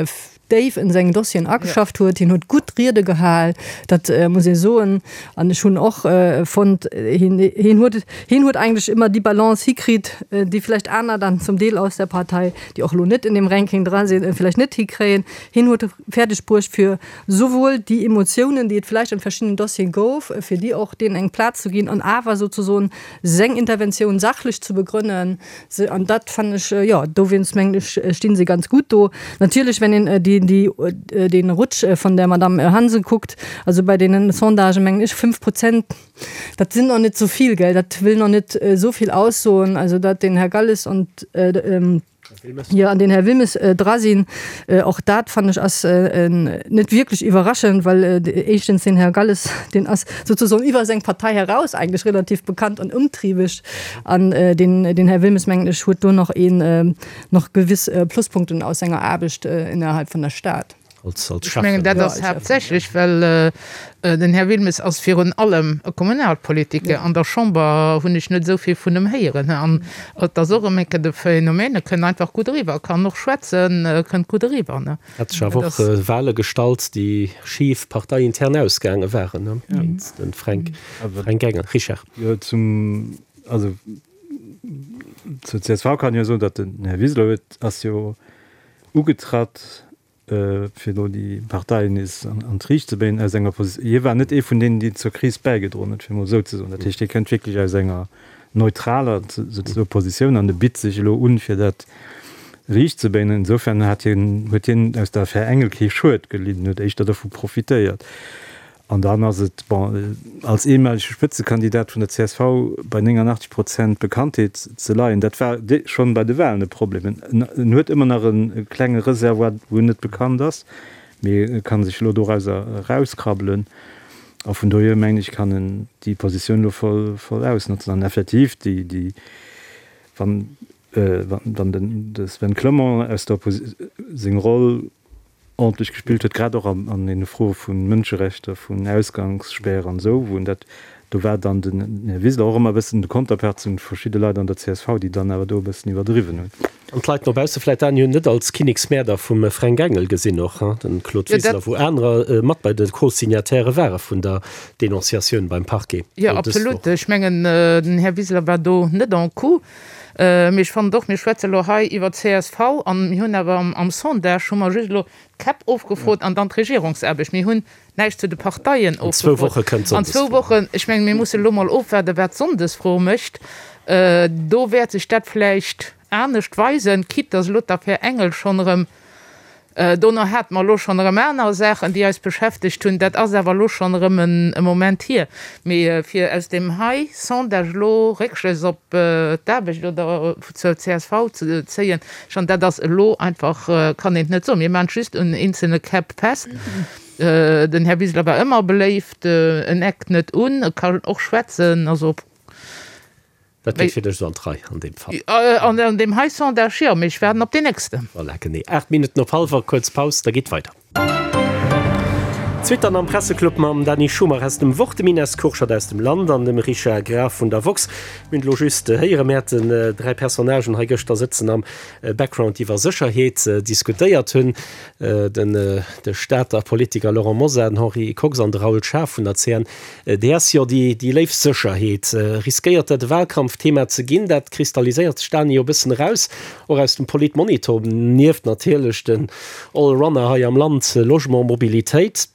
déif in seng Dossieren ageschafft huet. Hien huet gutt Riede gehal, dat muss ee soen. An ech hunn och fonnt, hien hien huet hien huet eigentlech ëmmer déi Balance hikritt, déi vläicht aner dann zum Deel aus der Partei, déi och elo net in dem Ranking dra sinn, vläicht net hikréien. Hien huet fäerdeg bruecht fir souwuel déi Emotiounen, déi et vläicht an verschiddenen Dossieren gouf, fir déi och deenen eng Plaz ze ginn an awer souzesoen seng Interventioun sachlech ze begrënnen. Se, an dat fannen ech, jo, dowéinst mengen ech, stinn se ganz gutt do. Natierlech, wenn een déi, déi, dee Rutsch vun der Madame Hansen kuckt, also bei deenen Sondagen, mengen ech, 5 Prozent, dat sinn nach net esou vill, gell, dat wëll nach net esou vill aussoen. Also datt den Här Galles und Jo, an den Här Wilmes dra sinn. Och dat, fannen ech, ass net wierklech iwwerraschend, well éischtens den Här Galles, deen ass souzesoen iwwer seng Partei heraus eigentlech relativ bekannt an ëmtriebeg. An den Här Wilmes, mengen ech, huet do nach een, nach gewiss Pluspunkten aus senger Aarbecht innerhalb vun der Stad. Als, als Ech mengen, dat ass haaptsächlech, well den Här Wilmes ass virun allem e Kommunalpolitiker. An der Chamber hunn ech net esou vill vun em héieren. An et ass och erëm eng Kéier de Phänomen, e kënnt einfach gutt eriwwer, e kann och schwätzen, e kënnt gutt eriwwer. Hat sech awer och Wahle gestallt, déi schif parteiintern ausgaange waren, géint de Fränk, Fränk Engel. Richard. Jo, zum, also zur csv kann een jo soen, datt den Här Wiseler huet, ass jo ugetratt, fir elo déi Parteien nees an d'Riicht ze bréngen, aus enger Posi-, hie war net ee vun deenen, déi zur Kris bäigedroen huet, fir emol esou ze soen. Dat heescht, hie kënnt wierklech aus enger neutraler souzesoe Positioun an e bitt sech elo un, fir dat riicht ze bréngen. Insofern hat hien, huet hien aus der Affär Engel kee Schued gelidden, huet éischter dovu profitéiert. An dann ass et, bon, als eemalege Spëtzekandidat vun der csv bei 89 Prozent Bekanntheet ze leien, dat war schonn bei de Wahlen e Problem. En huet ëmmer nach e klenge Reservoir, wou en net bekannt ass, mee e ka sech elo dorauser erauskrabbelen. A vun dohier, mengen ech, kann en déi Positioun elo voll, voll ausnotzen. An effektiv, déi, déi, wann, wann den de Sven Clement aus der Opposi-, seng Roll ordentlech gespillt huet, grad och an deene Froe vu Mënscherechter, vun Ausgangsspäre an esou, wou en dat, do war dann den Här Wiseler och ëmmer e bëssen de Konterpart zu verschidde Leit an der csv, déi dann awer do e bëssen iwwerdriwwen hunn. An d'Leit no bausse vläit d'Dani hunn net als Kinneksmäerder vum Fränk Engel gesinn och, hein, den Claude Wiseler, wou anerer mat bei de Co-Signatairë ware vun der Denonciatioun beim Parquet. Jo, absolut. Ech mengen, den Här Wiseler war do net en coup. Mee ech fannen och, mir schwätze elo hei iwwer csv an mir hunn awer am Sondage hu mer just elo d'Käpp ofgefrot an dann d'Regierungsaarbecht. Mir hunn näischt zu de Parteien ofgefrot. An zwou Wochen, ech mengen, mir musse elo mol ofwaarden, wat d'Sonndesfro mécht. Do wäert sech dat vläicht anescht weisen, quitte dass elo d'Affär Engel schonn erëm, dono hate mer elo schonn erëm aner Saachen, déi eis beschäftegt hunn, dat ass awer elo schonn erëm e Moment hier. Mee fir aus deem hei Sondage elo Réckschlëss op d'Aarbecht oder zur csv ze zéien, schonn dat ass elo einfach, kann een et net soen. Mir maachen et just un eenzelne Käpp fest. Den Här Wiseler war ëmmer beléift, en eckt net un, e kann och schwätzen, also. Dat geet fir dech esou an d'Rei an deem Fall. An deem hei Sondage jo, mee ech waarden op deen nächsten. Voilà, genee 8 Minutten op hallwer, kuerz Paus, da geet weider. D'Suite dann am Presseclub mam Dany Schumacher aus dem Wort, dem Ines Kurschat aus dem Land an dem Richard Graf vun der woxx. Mir hunn elo just héieren, mir haten 3 Personnagen hei gëschter sëtzen am Background, déi iwwer Sécherheet diskutéiert hunn, den de Stater Politiker Laurent Mosar, den Henri Kox an de Raoul Schaaf vun der CN. DS, Jo, déi léif Sécherheet. Riskéiert dat e Wahlkampfthema ze ginn? Dat kristalliséiert sech, Dany, jo e bëssen eraus, och aus dem Politmonitor, nieft natierlech den Allrunner hei am Land, Logement, Mobilitéit,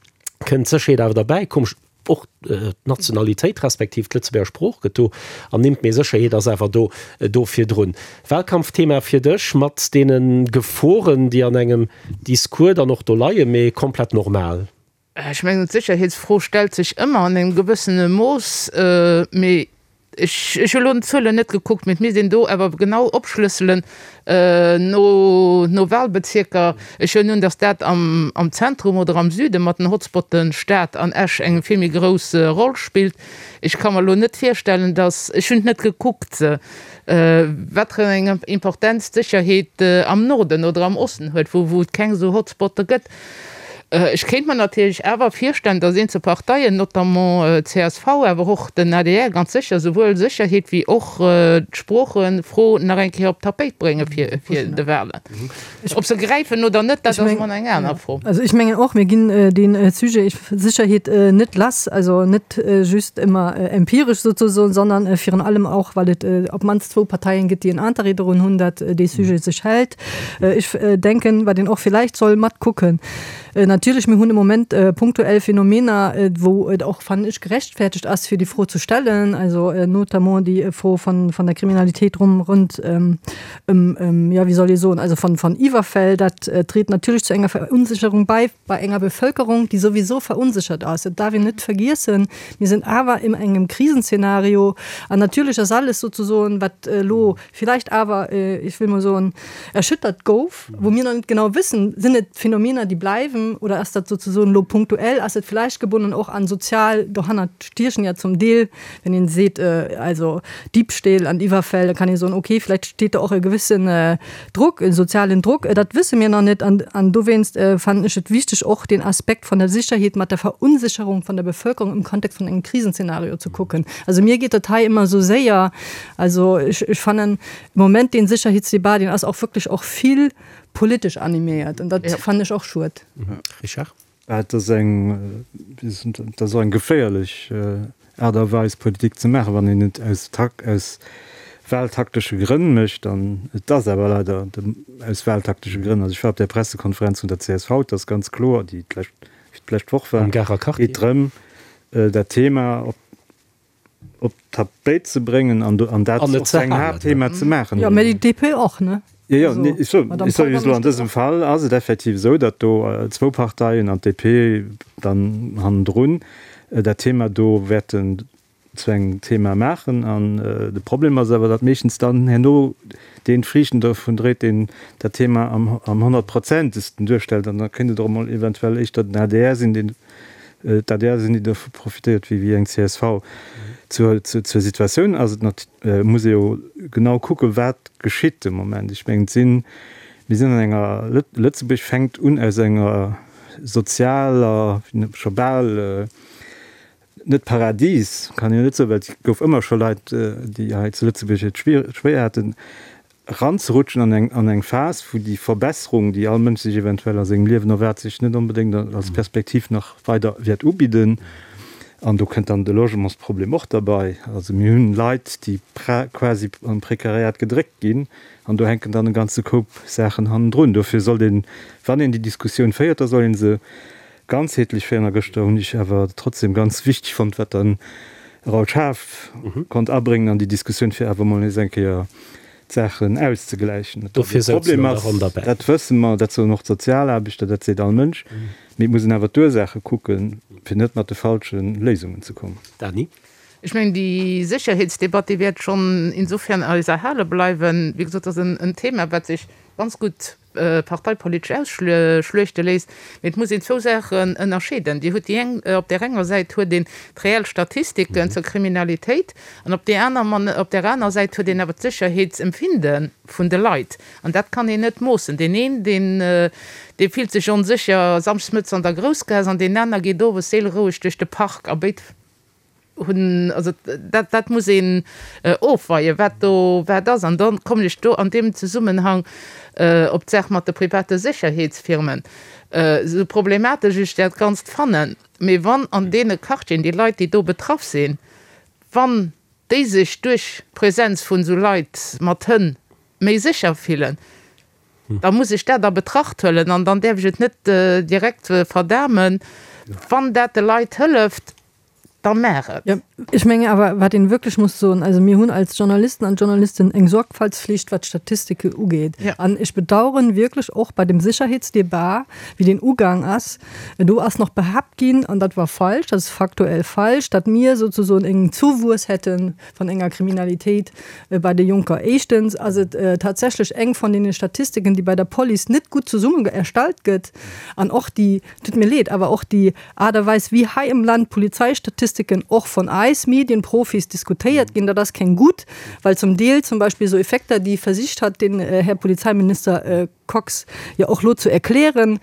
kënnt d'Sécherheet awer derbäi. Komesch, och d'Nationalitéit respektiv d'Lëtzebuerger Sprooch gëtt do ernimmt, mee Sécherheet ass awer do do virdrun. Wahlkampfthema fir dech, mat deene Geforen, déi an engem Discours dann och do leien, mee komplett normal. Ech mengen, d'Sécherheetsfro stellt sech ëmmer an engem gewëssene Mooss, mee ech, ech hu elo d'Zuelen net gekuckt, mee et misst een do awer genau opschlësselen no, no Wahlbezierker. Ech huelen un, datt dat am, am Zentrum oder am Süde mat den Hotspotten Stad an Esch eng vill méi grouss Roll spillt. Ech ka mer elo net virstellen, datt, ech hunn et net gekuckt, wat fir eng Importenz d'Sécherheet am Norden oder am Osten huet, wou, wou et keng esou Hotspotte gëtt. Ech kéint mer natierlech awer virstellen, datt eenzel Parteien, notamment csv, awer och den adr ganz sécher, souwuel Sécherheet wéi och d'Sproochefro nach eng Kéier op d'Tapéit brénge fir de Wahlen. Ob se gräifen oder net, dat ass emol eng aner Fro. Also ech mengen och, mir ginn dee Sujet Sécherheet net lass, also net just ëmmer empiresch souzesoen, sondern virun allem och, well et op d'mannst zwou Parteien gëtt, déi en Interêt dorun hunn, datt dee Sujet sech hält. Ech denken, wat een och villäicht soll matkucken, natierlech, mir hunn de Moment punktuell Phänomener, wou et och, fannen ech, gerechtfertegt ass, fir déi Fro ze stellen, also notamment déi Fro vun der Kriminalitéit rum rund ëm, jo, wéi soll ee soen, also von Iwwerfäll. Dat dréit natierlech zu enger Verunsicherung bei, bei enger Bevölkerung, déi souwisou verunsichert ass. Dat darf een net vergiessen. Mir sinn awer in engem Krisenszenario an natierlech ass alles sozesoen, wat elo villäicht awer, ech wëll mol soen, erschüttert gouf, wou mir nach net genau wëssen, sinn et Phänomener, déi bleiwen oder ass dat souzesoen elo punktuell, ass et villäicht gebonnen och an sozial, dohannert stiechen ja zum Deel, wenn een seet, also Diebstähl an Iwwerfäll, da kann ee soen, okay, villäicht steet do och e gewëssen Druck, e sozialen Druck, dat wësse mir nach net. An dowéinst fannen ech et wichteg, och deen Aspekt vun der Sicherheet mat der Verunsicherung vun der Bevölkerung im Kontext vun engem Krisenszenario ze kucken. Also mir geet dat hei ëmmer esou séier, Also ech, ech fannen im Moment deen Sicherheetsdebat, deen ass och wierklech och vill politesch animéiert an dat fannen ech och schued. Richard? Et ass eng, et ass och eng geféierlech Aart a Weis Politik ze maachen, wann een et aus aus wahltaktesche Grënn mécht. An et ass awer leider aus wahltaktesche Grënn. Also ech war op där Pressekonferenz vun der csv, et ass ganz kloer, déi d'lescht, d'lescht Woch war, Am Garer Quartier. geet drëm dat Thema op op d'Tapéit ze bréngen an an dat och zu engem Haaptthema ze maachen. Jo, mä déi DP och, ne? Jo, jo, nee, ech soen, ech soe just elo, an dësem Fall ass et effektiv esou, datt do zwou Parteien an d'DP dann hannendrun dat Thema do wäerten zu engem Thema maachen. An de Problem ass awer, datt meeschtens dann herno deen d'Friichten dovun dréit, deen dat Thema am honnertprozentegsten duerstellt. An da kéint et och emol eventuell éischter den adr sinn, deen D'adr sinn déi dovu profitéiert wéi wéi eng csv. Zur zur Situatioun ass et nat muss ee jo genau kucke wat geschitt de Moment. Ech mengen et sinn, mir sinn an enger, Lëtzebuerg fänkt un aus enger sozialer, scho bal net Paradies kann een jo net soen, well et gouf ëmmer scho Leit déi hei zu Lëtzebuerg et schwéier haten. eranzerutschen an eng, an eng Phas, wou déi Verbesserung, déi all Mënsch sech eventuell a sengem Liewen erwaart, sech net onbedéngt als Perspektiv nach weider wäert ubidden. An do kënnt dann de Logementsproblem och derbei. Also mir hunn Leit, déi quasi am Prekariat gedréckt ginn, an do hänken dann e ganze Koup Saachen hannendrun. Dofir sollt een, wann een déi Diskussioun féiert, da soll ee se ganzheetlech féieren. A gëschter hunn ech awer trotzdem ganz wichteg fonnt, wat den Raoul Schaaf konnt abréngen an déi Diskussioun, fir awer emol nees eng Kéier d'Saachen auszegläichen. Datt e Problem ass, dat wësse mer, dat soen och d'Sozialaarbechter, dat seet all Mënsch. Mee et muss een awer d'Ursaache kucken, fir net mat de falsche Léisungen ze kommen. Dany. Ech mengen, déi Sécherheetsdebatt, déi wäert schonn insofern eis erhale bleiwen. Wéi gesot, dat ass en Thema, wat sech ganz gutt parteipolitesch ausschluechte léisst. Mee et muss een zwou Saachen ënnerscheeden. Dir hutt déi eng, op där enger Säit huet een d'reell Statistiken zur Kriminalitéit an op där aner, op där aner Säit huet een awer d'Sécherheetsempfinde vun de Leit. An dat kann een net moossen. Deen een, deen, dee fillt sech onsécher samschdes mëttes an der Groussgaass an deen aner geet owes séileroueg duerch de Park a béid hunn, also dat, dat muss een ofweien, wat do wat ass. An da kommen ech do an deem Zesummenhang op d'Saach mat de private Sécherheetsfirmen. Esou problematesch ech dat Ganzt fannen, mee wann an deene Quartieren déi Leit, déi do betraff sinn, wann déi sech duerch d'Präsenz vun esou Leit mat Hënn méi sécher fillen, da muss ech dat a Betracht huelen an dann däerf ech et net direkt verdamen. Wann dat de Leit hëlleft, da maach et. Jo, ech mengen awer, wat een wierklech muss soen, also mir hunn als Journalisten an Journalistinnen eng Sorgfaltspflicht, wat d'Statistike ugeet. An ech bedauern wierklech och bei dem Sicherheetsdebat, wéi deen ugaang ass, do ass nach behaapt ginn, an dat war falsch, dat ass faktuell falsch, datt mir souzesoen en Zouwuess hätte vun enger Kriminalitéit bei de Jonker. Éischtens ass et tatsächlech eng vun deene Statistiken, déi bei der Police net gutt zesumme erstallt gëtt an och déi, tut mir leed, awer och déi Aart a Weis, wéi hei am Land d'Polizeistatistiken och vun eis Medienprofis diskutéiert ginn, dat ass keng gutt, well zum Deel zum Beispill esou Effekter, déi versicht hat den Här Polizeiminister Kox jo och lo zu erklären,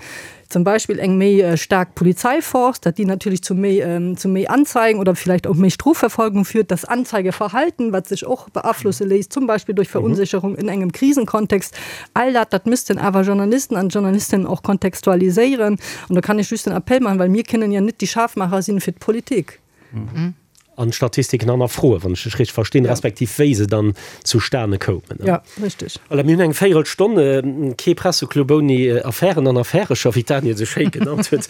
zum Beispill eng méi staark Polizeiforce, datt déi natierlech zu méi, zu méi Anzeigen oder vielleicht och méi Strofverfolgung führt, das Anzeigeverhalten, wat sech och beaflosse léisst, zum Beispill durch Verunsicherung in engem Krisenkontext. All dat, dat müssten awer Journalisten an Journalistinnen och kontextualiséieren. An do kann ech just den Appell maachen, well mir kënnen jo net déi Scharfmacher sinn fir d'Politik. An d'Statistiken hannerfroen, wann ech dech richteg verstinn, respektiv wéi se dann zustane koumen. Jo, richteg. Voilà, mir hunn eng Véierelstonn. Kee Presseclub ouni Affären an Affärecher, wéi d'Daniel se schéi genannt huet.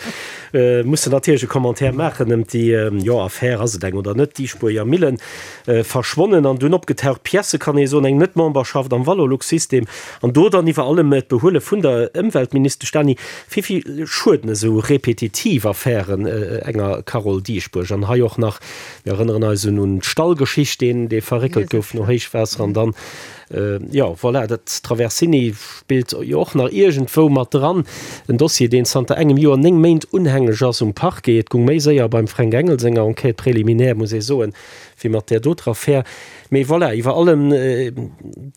Mussen natierlech e Commentaire maachen ëm déi, jo, Affär, ass et eng oder net, Dieschbourger Millen. Verschwonnen an dunn opgetaucht Piècë kann ee soen, eng Net-Memberschaft am Valorlux-System an do dann iwwer allem d'Behuele vun der Ëmweltministesch Dany. Wéi vill schueden esou repetitiv Affären enger Carole Dieschbourg? An hei och nach, mir erënneren eis un un d'Stallgeschicht, deen dee verréckelt gouf no Héichwaasser an dann, jo voilà, dat Traversini spillt jo och nach iergendwou mat dran. En Dossier, deen zanter engem Joer 9 Méint unhängeg ass um Parquet. Et gung méi séier beim Fränk Engel senger Enquête préliminaire, muss ee soen, wéi mat där doter Affär. Mee voilà, iwwer allem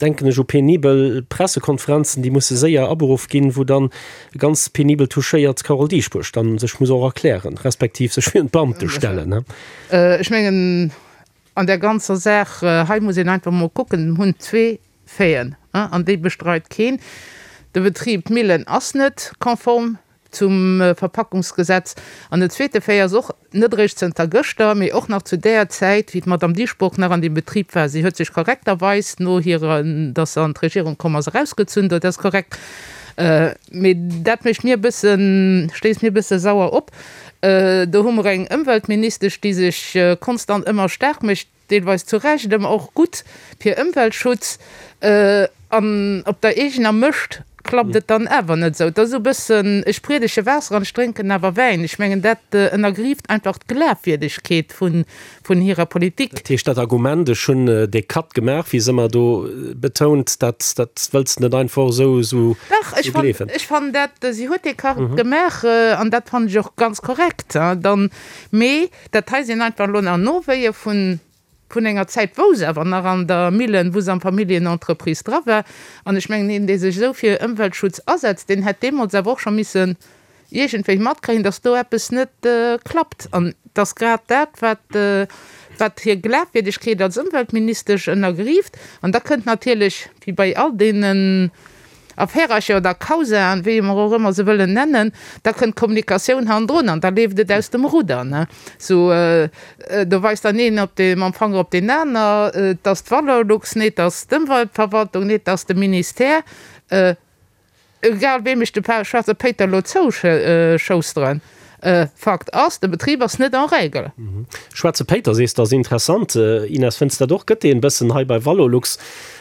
denken ech u penibel Pressekonferenzen, déi musse séier aberuff ginn, wou dann ganz penibel touchéiert d'Carole Dieschbourg dann sech muss och erklären, respektiv sech virun d'Beamte stellen. Ech mengen, an där ganzer Saach hei muss een einfach emol kucken, hunn zwee Faiten, an déi bestreit keen. De Betrib Millen ass net konform zum Verpackungsgesetz. An den zweete Fait ass och net eréischt zënter gëschter, mee och nach zu där Zäit, wéi d'Madame Dieschbourg nach an deem Betrib war. Si huet sech korrekterweis no hirer, datt se an d'Regierung komm ass, erausgezunn. Dat ass korrekt. Mee dat mécht mir e bëssen, stéisst mir e bësse sauer op. Do hu mer eng Ëmweltministesch, déi sech konstant ëmmer staark mécht, deelweis zu Recht, ëmmer och gutt fir Ëmweltschutz, an op der eegener Mëscht klappt et dann awer net esou. Et ass esou e bëssen, ech priedege Waasser an ech drénken awer Wäin. Ech mengen, dat ënnergrieft einfach d'Glafwierdegkeet vun hirer Politik. Dat heescht, dat Argument, ech hunn dee Cut gemaach, wéi se ëmmer do betount, dat dat wëlls de net einfach esou esou Dach, ech gleewen. Ech fannen dat, si huet dee Cut gemaach an dat fannen ech och ganz korrekt. Dann, mee Dat hei sinn einfach elo nach Nowéie vun vun enger Zäit, wou se awer nach an der Millen, wou se am Familljenentreprise dra war. An ech mengen, een, dee sech esou fir Ëmweltschutz asetzt, deen hätt deemools awer och scho missen iergendwéi matkréien, dass do eppes net klappt. An et ass grad dat, wat. Wat hir Glafwierdegkeet als Ëmweltministesch ënnergrieft. An da kënnt natierlech, wéi bei all deenen Affärercher oder Causaen, wéi mer och ëmmer se wëllen nennen, da kënnt d'Kommunikatioun hannendrun an da leeft et aus dem Rudder. Ne? Sou, do weist dann een op de, mam Fanger op deen aner, et ass d'Valorlux, nee, et ass d'Ëmweltverwaltung, nee, et ass de Ministère. Egal weem ech de schwaarze Péiter elo zouschousteren, Fakt ass, de Betrib ass net en règle. Schwaarze Péiter sees de, ass interessant. Ines, fënns dat och? Gëtt deen bëssen hei bei Valorlux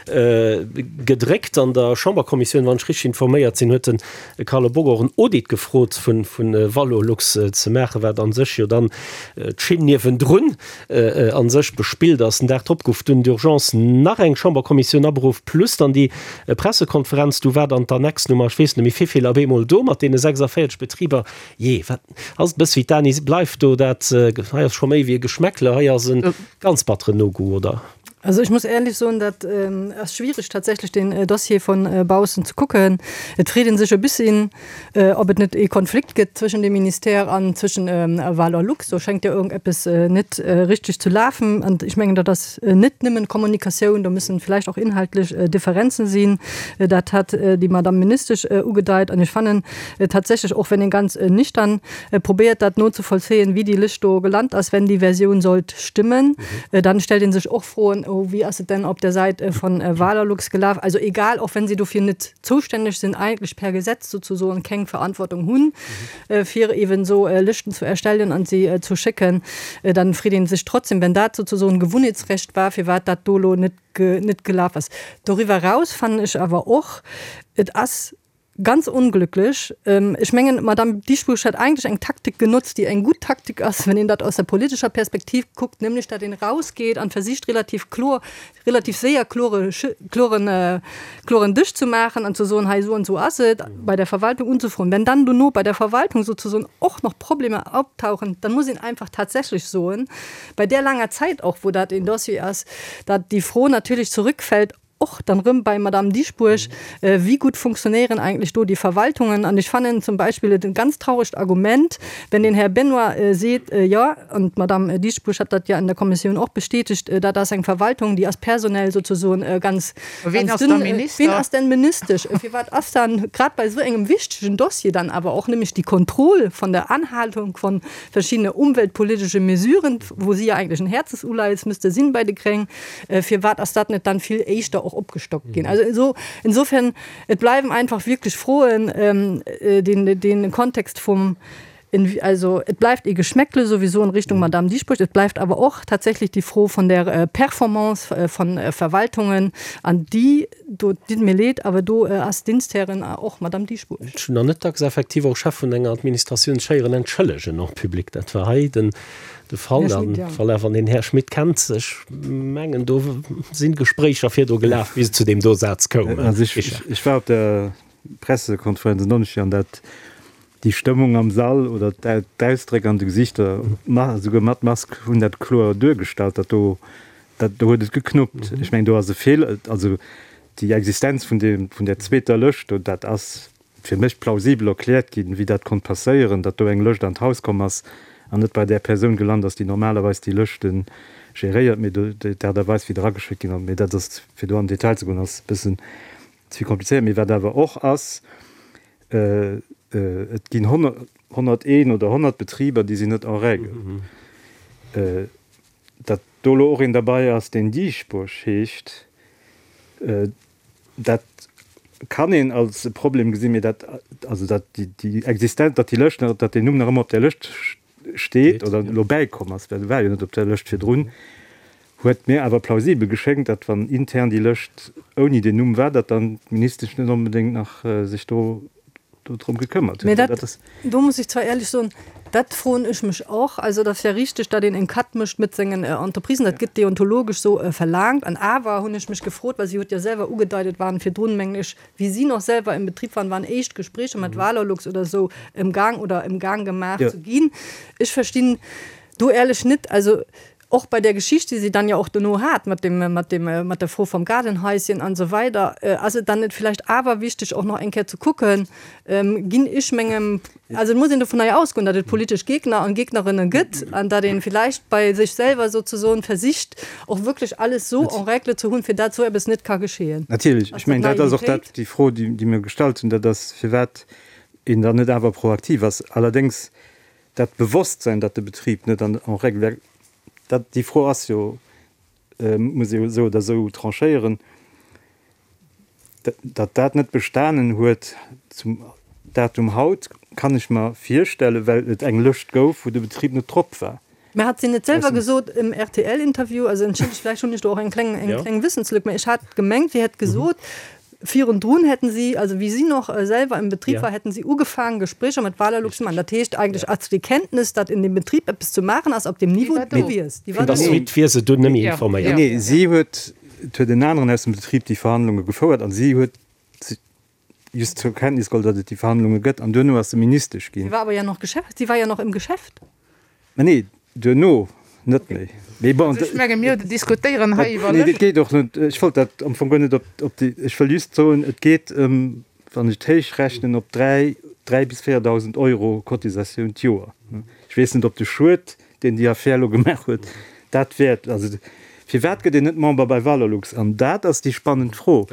gedréckt? An der Chamberkommissioun, wann ech richteg informéiert sinn, huet de Carlo Bock och en Audit gefrot vu Valorlux ze maachen, wat a sech jo dann d'Schinn niewendrun a sech bespillt ass. Den Dag drop gouf dunn d'urgence nach eng Chamberkommissioun aberuff, plus dann déi Pressekonferenz. Du war dann d'Annex Nummer, ech weess net méi vivill, op eemol do mat deene 46 Betriber. Jee, wat ass et e bësse wéi d'Dani, bleift do dat, hei ass scho méi wéi e Geschmäckle, hei ass e ganz batteren No-Goût, oder? Also ech muss éierlech soen, dat ass schwierig tatsächlech deen Dossier von baussen ze kucken. Et freet ee sech e bësschen, ob et net ee Konflikt gëtt zwëschen dem Ministère an zwëschen Valorlux. Do schéngt jo iergendeppes net richteg ze lafen. An ech mengen, dat ass net nëmmen Kommunikatioun, do müssen vläicht och inhaltlech Differenzen sinn. Dat hat déi Madame Ministesch ugedeit. An ech fannen tatsächlech, och wenn een ganz nüchtern probéiert dat nozevollzéien, wéi déi Lëscht do gelant ass, wenn déi Versioun sollt stimmen, dann stellt een sech och Froen, oh wéi ass et denn op der Säit von Valorlux gelaf? Also egal, och wenn si dofir net zoustänneg sinn, eigentlech per Gesetz sozusoen keng Verantwortung hunn, fir eben esou Lëschten zu erstellen an se zu schécken, dann freet een sech trotzdem, wenn dat sozusoen Gewohnheetsrecht war, firwat dat do elo net net gelaf ass. Doriwwer eraus fannen ech awer och, et ass Ganz onglücklech. Ech mengen, d'Madame Dieschbourg hat eigentlech eng Taktik genotzt, déi eng gutt Taktik ass, wenn een dat aus der politescher Perspektiv kuckt, nämlech datt een erausgeet an versicht relativ kloer, relativ séier klore, kloren, kloren Dësch ze maachen an ze soen, hei esou an esou ass et, bei der Verwaltung unzefroen. Wenn dann dono bei der Verwaltung sozusoen och nach Problemer optauchen, dann muss een einfach tatsächlech soen, bei där laanger Zäit och, wou dat een Dossier ass, datt déi Fro natierlech zurückfällt, Och dann erëm bei Madame Dieschbourg, Wéi gutt funktionéieren eigentlech do déi Verwaltungen? An ech fannen zum Beispill et e ganz trauregt Argument, wenn den Här Benoy seet, jo, an d'Madame Dieschbourg hat dat jo an der Kommissioun och bestätegt, dat ass eng Verwaltung, déi ass personell sozesoen ganz, ganz dünn. Ween ass denn Ministesch? Firwat ass dann grad bei esou engem wichtegen Dossier dann awer och nämlech déi Kontroll von der Anhaltung von verschiedene umweltpolitische Mesuren, wou si jo eigentlech en Herzensuleies müsste sinn bei de Gréng, Firwat ass dat net dann vill éischter och opgestockt ginn? Also esou, insofern, et bleiwen einfach wierklech Froen, den, den Kontext vum, also et bleift ee Geschmäckle sowieso in Richtung Madame Dieschbourg, et bleift awer och tatsächlich déi Fro vun der Performance von Verwaltungen an déi, do ditt mir leed, awer do ass d'Diensthärin och Madame Dieschbourg. Ech hunn nach net dacks effektiv och Chef vun enger Administratioun sech héieren entschëllegen en public. Dat war hei den De Fall an voilà, wann een Här Schmit kennt, ech mengen do sinn Gespréicher virdru gelaf, bis et zu deem do Saz koum. Also ech, ech, ech war op der Pressekonferenz en Donneschdeg an dat, déi Stëmmung am Sall oder d'Ausdréck an de Gesichter, souguer mat Mask, hunn dat kloer duergestallt, datt do, dat do huet et geknuppt. Ech mengen do ass e Feeler, also déi Existenz vun deem, vun där zweeter Lëscht do, dat ass fir mech plausibel erkläert ginn, wéi dat konnt passéieren, datt do eng Lëscht an d'Haus komm ass an net bei där Persoun gelant ass, déi normalerweis déi Lëschte geréiert, mee do d'Aart a Weis, wéi erageschéckt ginn ass. Mee dat ass, fir do an den Detail ze goen, ass e bëssen ze vill komplizéiert. Mee wat awer och ass, Et ginn 101 oder 100 Betriber, déi sinn net en règle. Datt do elo och een derbei ass, deen Dieschbourg heescht, Dat kann een als e Problem gesinn, mee dat, also dat déi Existenz, datt déi Lëscht nach, datt deen Numm nach ëmmer op där Lëscht steet oder elo bäikomm ass, well e war jo net op der Lëscht virdrun, huet mir awer plausibel geschéngt, datt wann intern déi Lëscht ouni deen Numm war, datt dann d'Ministesch net onbedéngt nach sech do do drëm gekëmmert huet. Mee dat, do muss ech zwar éierlech soen, dat froen ech mech och. Also et ass ja richteg, datt een en Cut mécht mat sengen Entreprisen, dat gëtt deontologesch esou verlaangt. An awer hunn ech mech gefrot, well si huet jo selwer ugedeit, et waren virdrun, mengen ech, wéi si nach selwer im Betrib waren, waren éischt Gespréicher mat Valorlux oder esou emgaang oder emgaang gemaach ze ginn. Ech verstinn do éierlech net, also. Och bei der Geschicht, déi si dann jo och dono hat mat dem, mat dem, mat der Fro vom Gaardenhäuschen an esou weider, ass et dann net vläicht awer wichteg och nach eng Kéier ze kucken, ginn ech mengem, also et muss een dovunner jo ausgoen, datt et politesch Gegner an Gegnerinnen gëtt an datt ee vläicht bei sech selwer sozesoen versicht och wierklech alles esou en règle ze hunn, fir dat esou eppes net ka geschehen. Natierlech, ech mengen dat ass och dat, déi Fro, déi mir gestallt hunn, dat ass firwat een dann net awer proaktiv ass. Allerdéngs Dat Bewosstsein, datt de Betrib net an en règle wär, dat, déi Fro ass jo, muss ee jo esou oder esou tranchéieren, datt dat net bestanen huet zum Datum haut, kann ech mer virstellen, well et eng Lëscht gouf, wou de Betrib net drop war. Mä hat si net selwer gesot im RTL-Interview, also entschëllegt, vläicht hunn ech do och eng kleng, eng kleng Wissenslück, mä ech hat gemengt, si hätt gesot, Virundrun hätten si, also wéi si noch selwer im Betrieb war, hätten si ugefaangen, Gesprécher mat Valorlux ze maachen. Dat heescht eigentlech ass déi Kenntnis, datt in dem Betrieb eppes ze maachen ass, op deem Niveau gewiesst. Déi war do. Vun der Suite wier se dunn nëmme informéiert. Nee, si huet, et huet en aneren aus dem Betrib déi Verhandlunge gefouert an si huet just zur Kenntnis geholl, datt et déi Verhandlunge gëtt an duerno ass se Ministesch ginn. Si war awer jo nach Geschäft, si war jo nach im Geschäft. Mä nee, duerno net méi. Mee bon. Also ech menge mir diskutéieren hei iwwer. Nee, et geet och net, ech wollt dat am Fong guer net op, op déi, ech wëll just soen, et geet ëm, wann ech et héich rechnen, op 3, 3 bis 4.000 Euro Cotisatioun d'Joer. Ech weess net, ob de Schued, deen déi Affär elo gemaach huet, dat wäert. Also firwat gëtt een net Member bei Valorlux? An dat ass déi spannend Fro,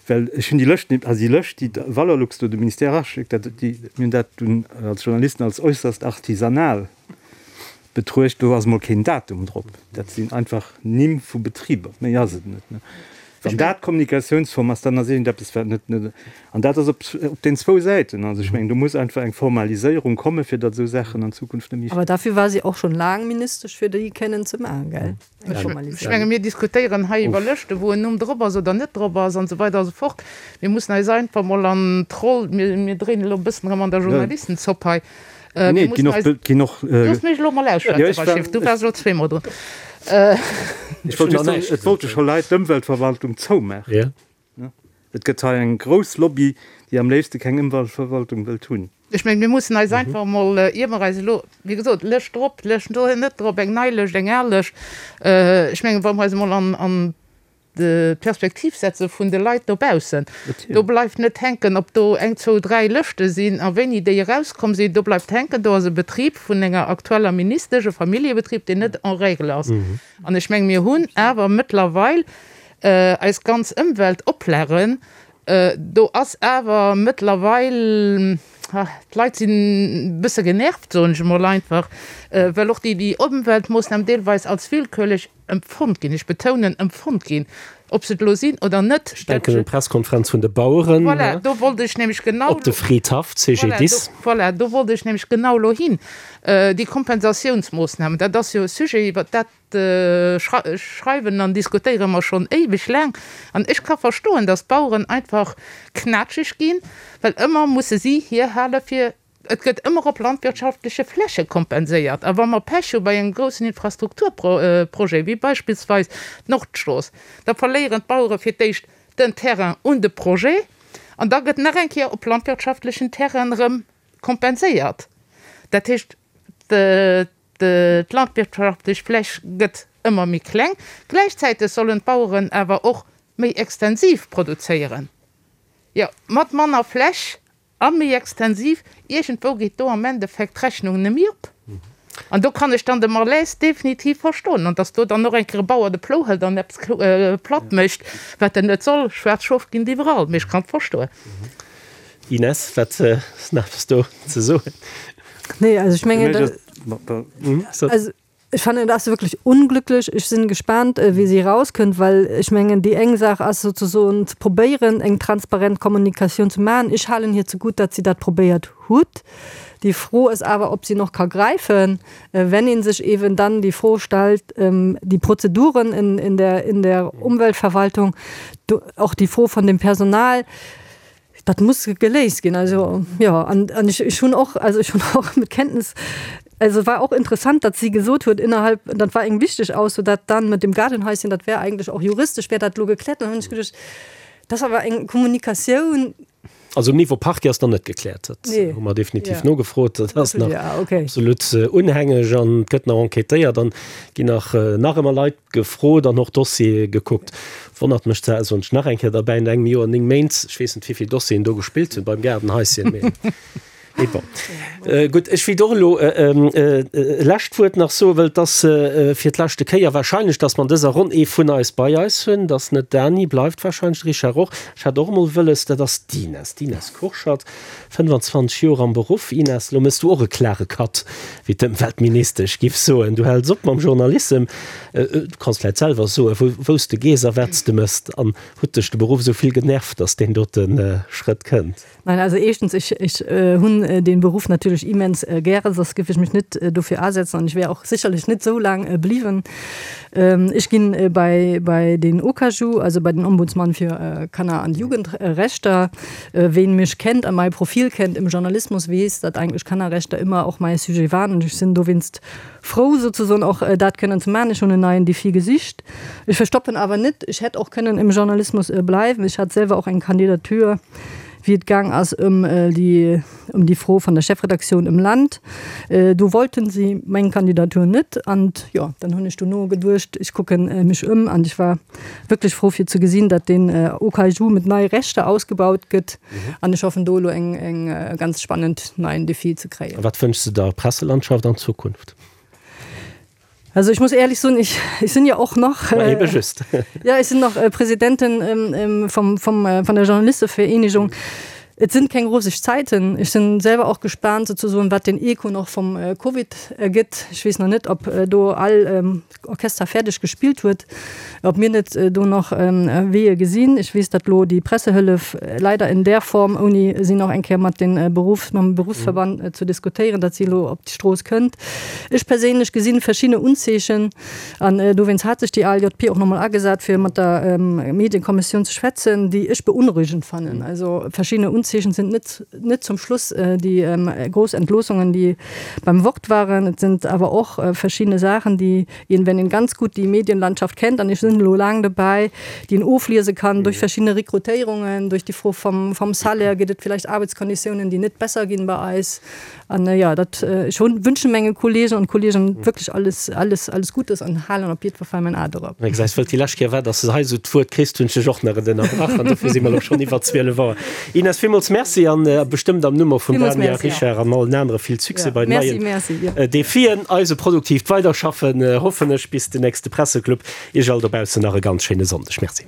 well ech hunn déi Lëscht net, also déi Lëscht, déi Valorlux do dem Ministère eraschéckt, dat, déi, mir hunn dat dunn als Journalisten als äusserst artisanal betruecht, do ass emol keen Datum drop. Dat sinn einfach Nimm vu Betriber, méi ass et net. Wann dat d'Kommunikatiounsform ass, dann ass iergendeppes, wat net, net, an dat ass op, op den zwou Säiten. Also ech mengen, do muss einfach eng Formaliséierung kommen, fir datt esou Saachen an Zukunft net méi. Awer dafür war si och schonn laang Ministesch, fir déi kënnen ze maachen, gell? Eng Formaliséierung. Ech menge mir diskutéieren hei iwwer Lëschten, wou en Numm drop ass oder net drop ass an esou weider a sou fort. Mir mussen eis einfach mol an d'Roll, mir, mir dréinen elo e bëssen erëm an der Journalistenzopp hei. Nee, et ginn och, et ginn och. Looss mech elo mol ausschwätzen, Rachid, du waars elo zweemol drun. Ech wollt just soen, et wollte scho Leit d'Ëmweltverwaltung zoumaachen. Et gëtt hei eng grouss Lobby, déi am léifste keng Ëmweltverwaltung wëllt hunn. Ech mengen, mir mussen eis einfach emol, ier mer eis elo, wéi gesot, Lëscht drop, Lëscht net drop, eng nei Lëscht, eng al Lëscht, ech mengen, wa mer eis emol an d'Perspektiv setze vun de Leit dobaussen. Do bleift net hänken, ob do eng, zwou, dräi Lëschte sinn a wéini déi erauskomm sinn. Do bleift hänken, do ass e Betrib vun enger aktueller Ministesch, e Familljebetrib, deen net en règle ass. An ech menge mir hunn awer mëttlerweil eis ganz Ëmweltoplagen, do ass awer mëttlerweil, d'Leit sinn e bësse genervt, soen ech emol einfach, well och déi Ëmweltmoossnamen deelweis als willkürlech Empfonnt ginn, ech betounen empfonnt ginn, ob se et elo sinn oder net. Ech denken un d'Presskonferenz vun de Baueren. Voilà, do wollt ech nämlech genau. Op de Fridhaff, CGDIS. Voilà, do wollt ech nämlech genau elo hin. Déi Kompensatiounsmoossnamen, dat ass jo e Sujet, iwwert dat schreiwen an diskutéiere mer schonn éiweg laang. An ech ka verstoen, datt d'Baueren einfach knatscheg ginn, well ëmmer musse si hierhale fir Et gëtt ëmmer op landwirtschaftleche Fläche kompenséiert. A wa mer Pech hu bei engem groussen Infrastrukturprojet, wéi beispillsweis d'Nordstrooss, da verléieren d'Bauere fir d'éischt den Terrain un de Projet an da gëtt nach eng Kéier op landwirtschaftlechen Terrainen erëm kompenséiert. Dat heescht, d'landwirtschaftlech Fläch gëtt ëmmer méi kleng. Gläichzäiteg sollen d'Baueren awer och méi extensiv produzéieren, jo, mat manner Fläch A méi extensiv, iergendwou geet do am Endeffekt d'Rechnung nemme op. An do kann ech dann de Malaise definitiv verstoen. An datt do dann och eng Kéier e Bauer de Plou hëlt an eppes platt mécht, wat en net soll, schwaarz Schof ginn et iwwerall, mee ech kann et verstoen. Ines, wat ass nach eppes do ze soen? Nee, also ech mengen, also Ech fannen, et ass wierklech unglücklech. Ech sinn gespaant, wéi si erauskënnt, well ech mengen, déi eng Saach ass souzesoen ze probéieren, eng transparent Kommunikatioun ze maachen. Ech halen hir zegutt, datt si dat probéiert hutt. Déi Fro ass awer, ob si noch ka gräifen, wenn ee sech eeben dann déi Fro stellt, déi Prozeduren in der, in der Umweltverwaltung, och déi Fro von dem Personal. Dat muss geléist ginn. Also jo, an, an ech, ech hunn och, also ech hunn och mit Kenntnis, also war och interessant, datt si gesot huet innerhalb, dat war eng wichteg Ausso, dat dann mit dem Gaardenhäuschen, dat wär eigentlech och juristesch wär dat elo gekläert. Dann hunn ech geduecht, dat ass awer eng Kommunikatioun. Also um Niveau Parquet ass nach net gekläert. Dat hu mer definitiv nogefrot. Dat ass nach absolut unhängeg an et gëtt nach enquêtéiert an ginn nach nach ëmmer Leit gefrot an och Dossiere gekuckt. Wonnert mech zwar, soen ech nach eng Kéier derbäi, no engem Joer, 9 Méint, ech weess net wéi vill Dossieren do gespillt hunn beim Gaardenhaischen, mee. Mee bon. Gutt, ech wéilt och elo e lescht Wuert nach soen, well et ass fir d'leschte Kéier wahrscheinlech, datt mer an dëser Ronn ee vun eis bei eis hunn. Dat ass net d'Dany, bleift wahrscheinlech, de Richard och. Ech hat och emol wëlles, dat ass d'Ines, d'Ines Kurschat, 25 Joer am Beruff. Ines, elo méchs du och e klare Cut, wéi d'Ëmweltministesch giff soen. Du häls op mam Journalissem. Du kanns vläicht selwer soen, wou, wou s de gees a wat s de méchs. An huet dech de Beruff esou vill genervt, datt deen dote Schrëtt kënnt? Nein, also éischtens, ech, ech hunn dee Beruff natierlech immens gären, soss géif ech mech net dofir asetzen an ech wär och sécherlech net esou laang bliwwen. Ech ginn bei, bei den OKaJu, also bei den Ombudsmann fir Kanner an Jugendrechter. Ween mech kennt a mäi Profil kennt im Journalismus, weess, datt eigentlech Kannerrechter ëmmer och mäi Sujet waren an ech sinn dowéinst frou souzesoen och dat kënnen ze maachen. Ech hunn en neien Défi gesicht. Ech verstoppen awer net, ech hätt och kënnen im Journalismus bleiwen. Ech hat selwer och eng Kandidatur, wéi et gaang ass ëm déi, ëm déi Fro vun der Chefredaktioun im Land. Do wollten si meng Kandidatur net an jo, dann hunn ech dono geduecht, ech kucken mech ëm an ech war wierklech frou fir ze gesinn, datt deen OKaju mat neie Rechter ausgebaut gëtt an ech hoffen do elo eng, eng ganz spannend neien Défi ze kréien. A wat wënschs de der Presselandschaft an Zukunft? Also ich muss ehrlich soen, ich, ich sinn jo och nach, Ma ebe just. ja, ich sinn nach Presidentin vum, vum, vun der Journalistevereenegung. Et sinn keng roseg Zäiten. Ech sinn selwer och gespaant souzesoen, wat den Echo nach vum Covid ergëtt. Ech weess nach net, ob do all Orchester fäerdeg gespillt huet, ob mir net do nach Weeë gesinn. Ech weess, datt elo déi Pressehëllef leider in där Form, ouni si nach eng Kéier mat de Beruffs, mam Beruffsverband ze diskutéieren, datt si elo op d'Strooss kënnt. Ech perséinlech gesinn verschidde Unzeechen an dowéinst hat sech déi ALJP och nach mol agesat, fir mat der Medienkommissioun ze schwätzen, déi ech beunruhigend fannen. Also verschidde Unzeechen sind net, net zum Schluss déi grouss Entloossungen, déi beim Wort waren. Et sind awer och verschidde Saachen, déi een, wenn een ganz gutt déi Medienlandschaft kennt, an ech sinn elo laang dobäi, déi een ofliese kann duerch verschidde Rekrutéierungen, duerch déi Fro vom, vom Salaire, gëtt et vielleicht Arbeitskonditiounen, déi net besser ginn bei eis. An jo, dat, ech hunn, wünschen menge Kollegen an Kolleegen wierklech alles, alles, alles Gutes an halen op jiddwer Fall mäin A dorop. Wéi gesäis, wëll et déi lescht Kéier war, dass de hei esou d'Wuert kriss, hunn ech dech och nach et ënnerbrach an dofir si mer elo schonn iwwer 12 Auer. Ines, villmools Merci an bestëmmt am Numm och vum Villmools Dania, Merci. Richard an allen anere vill Succès Ja, bei den merci, neien merci, ja. Defien. Eise produktiivt Weiderschaffen, hoffen ech, bis den nächste Presseclub. Iech all dobaussen nach e ganz schéine Sonndeg. Merci.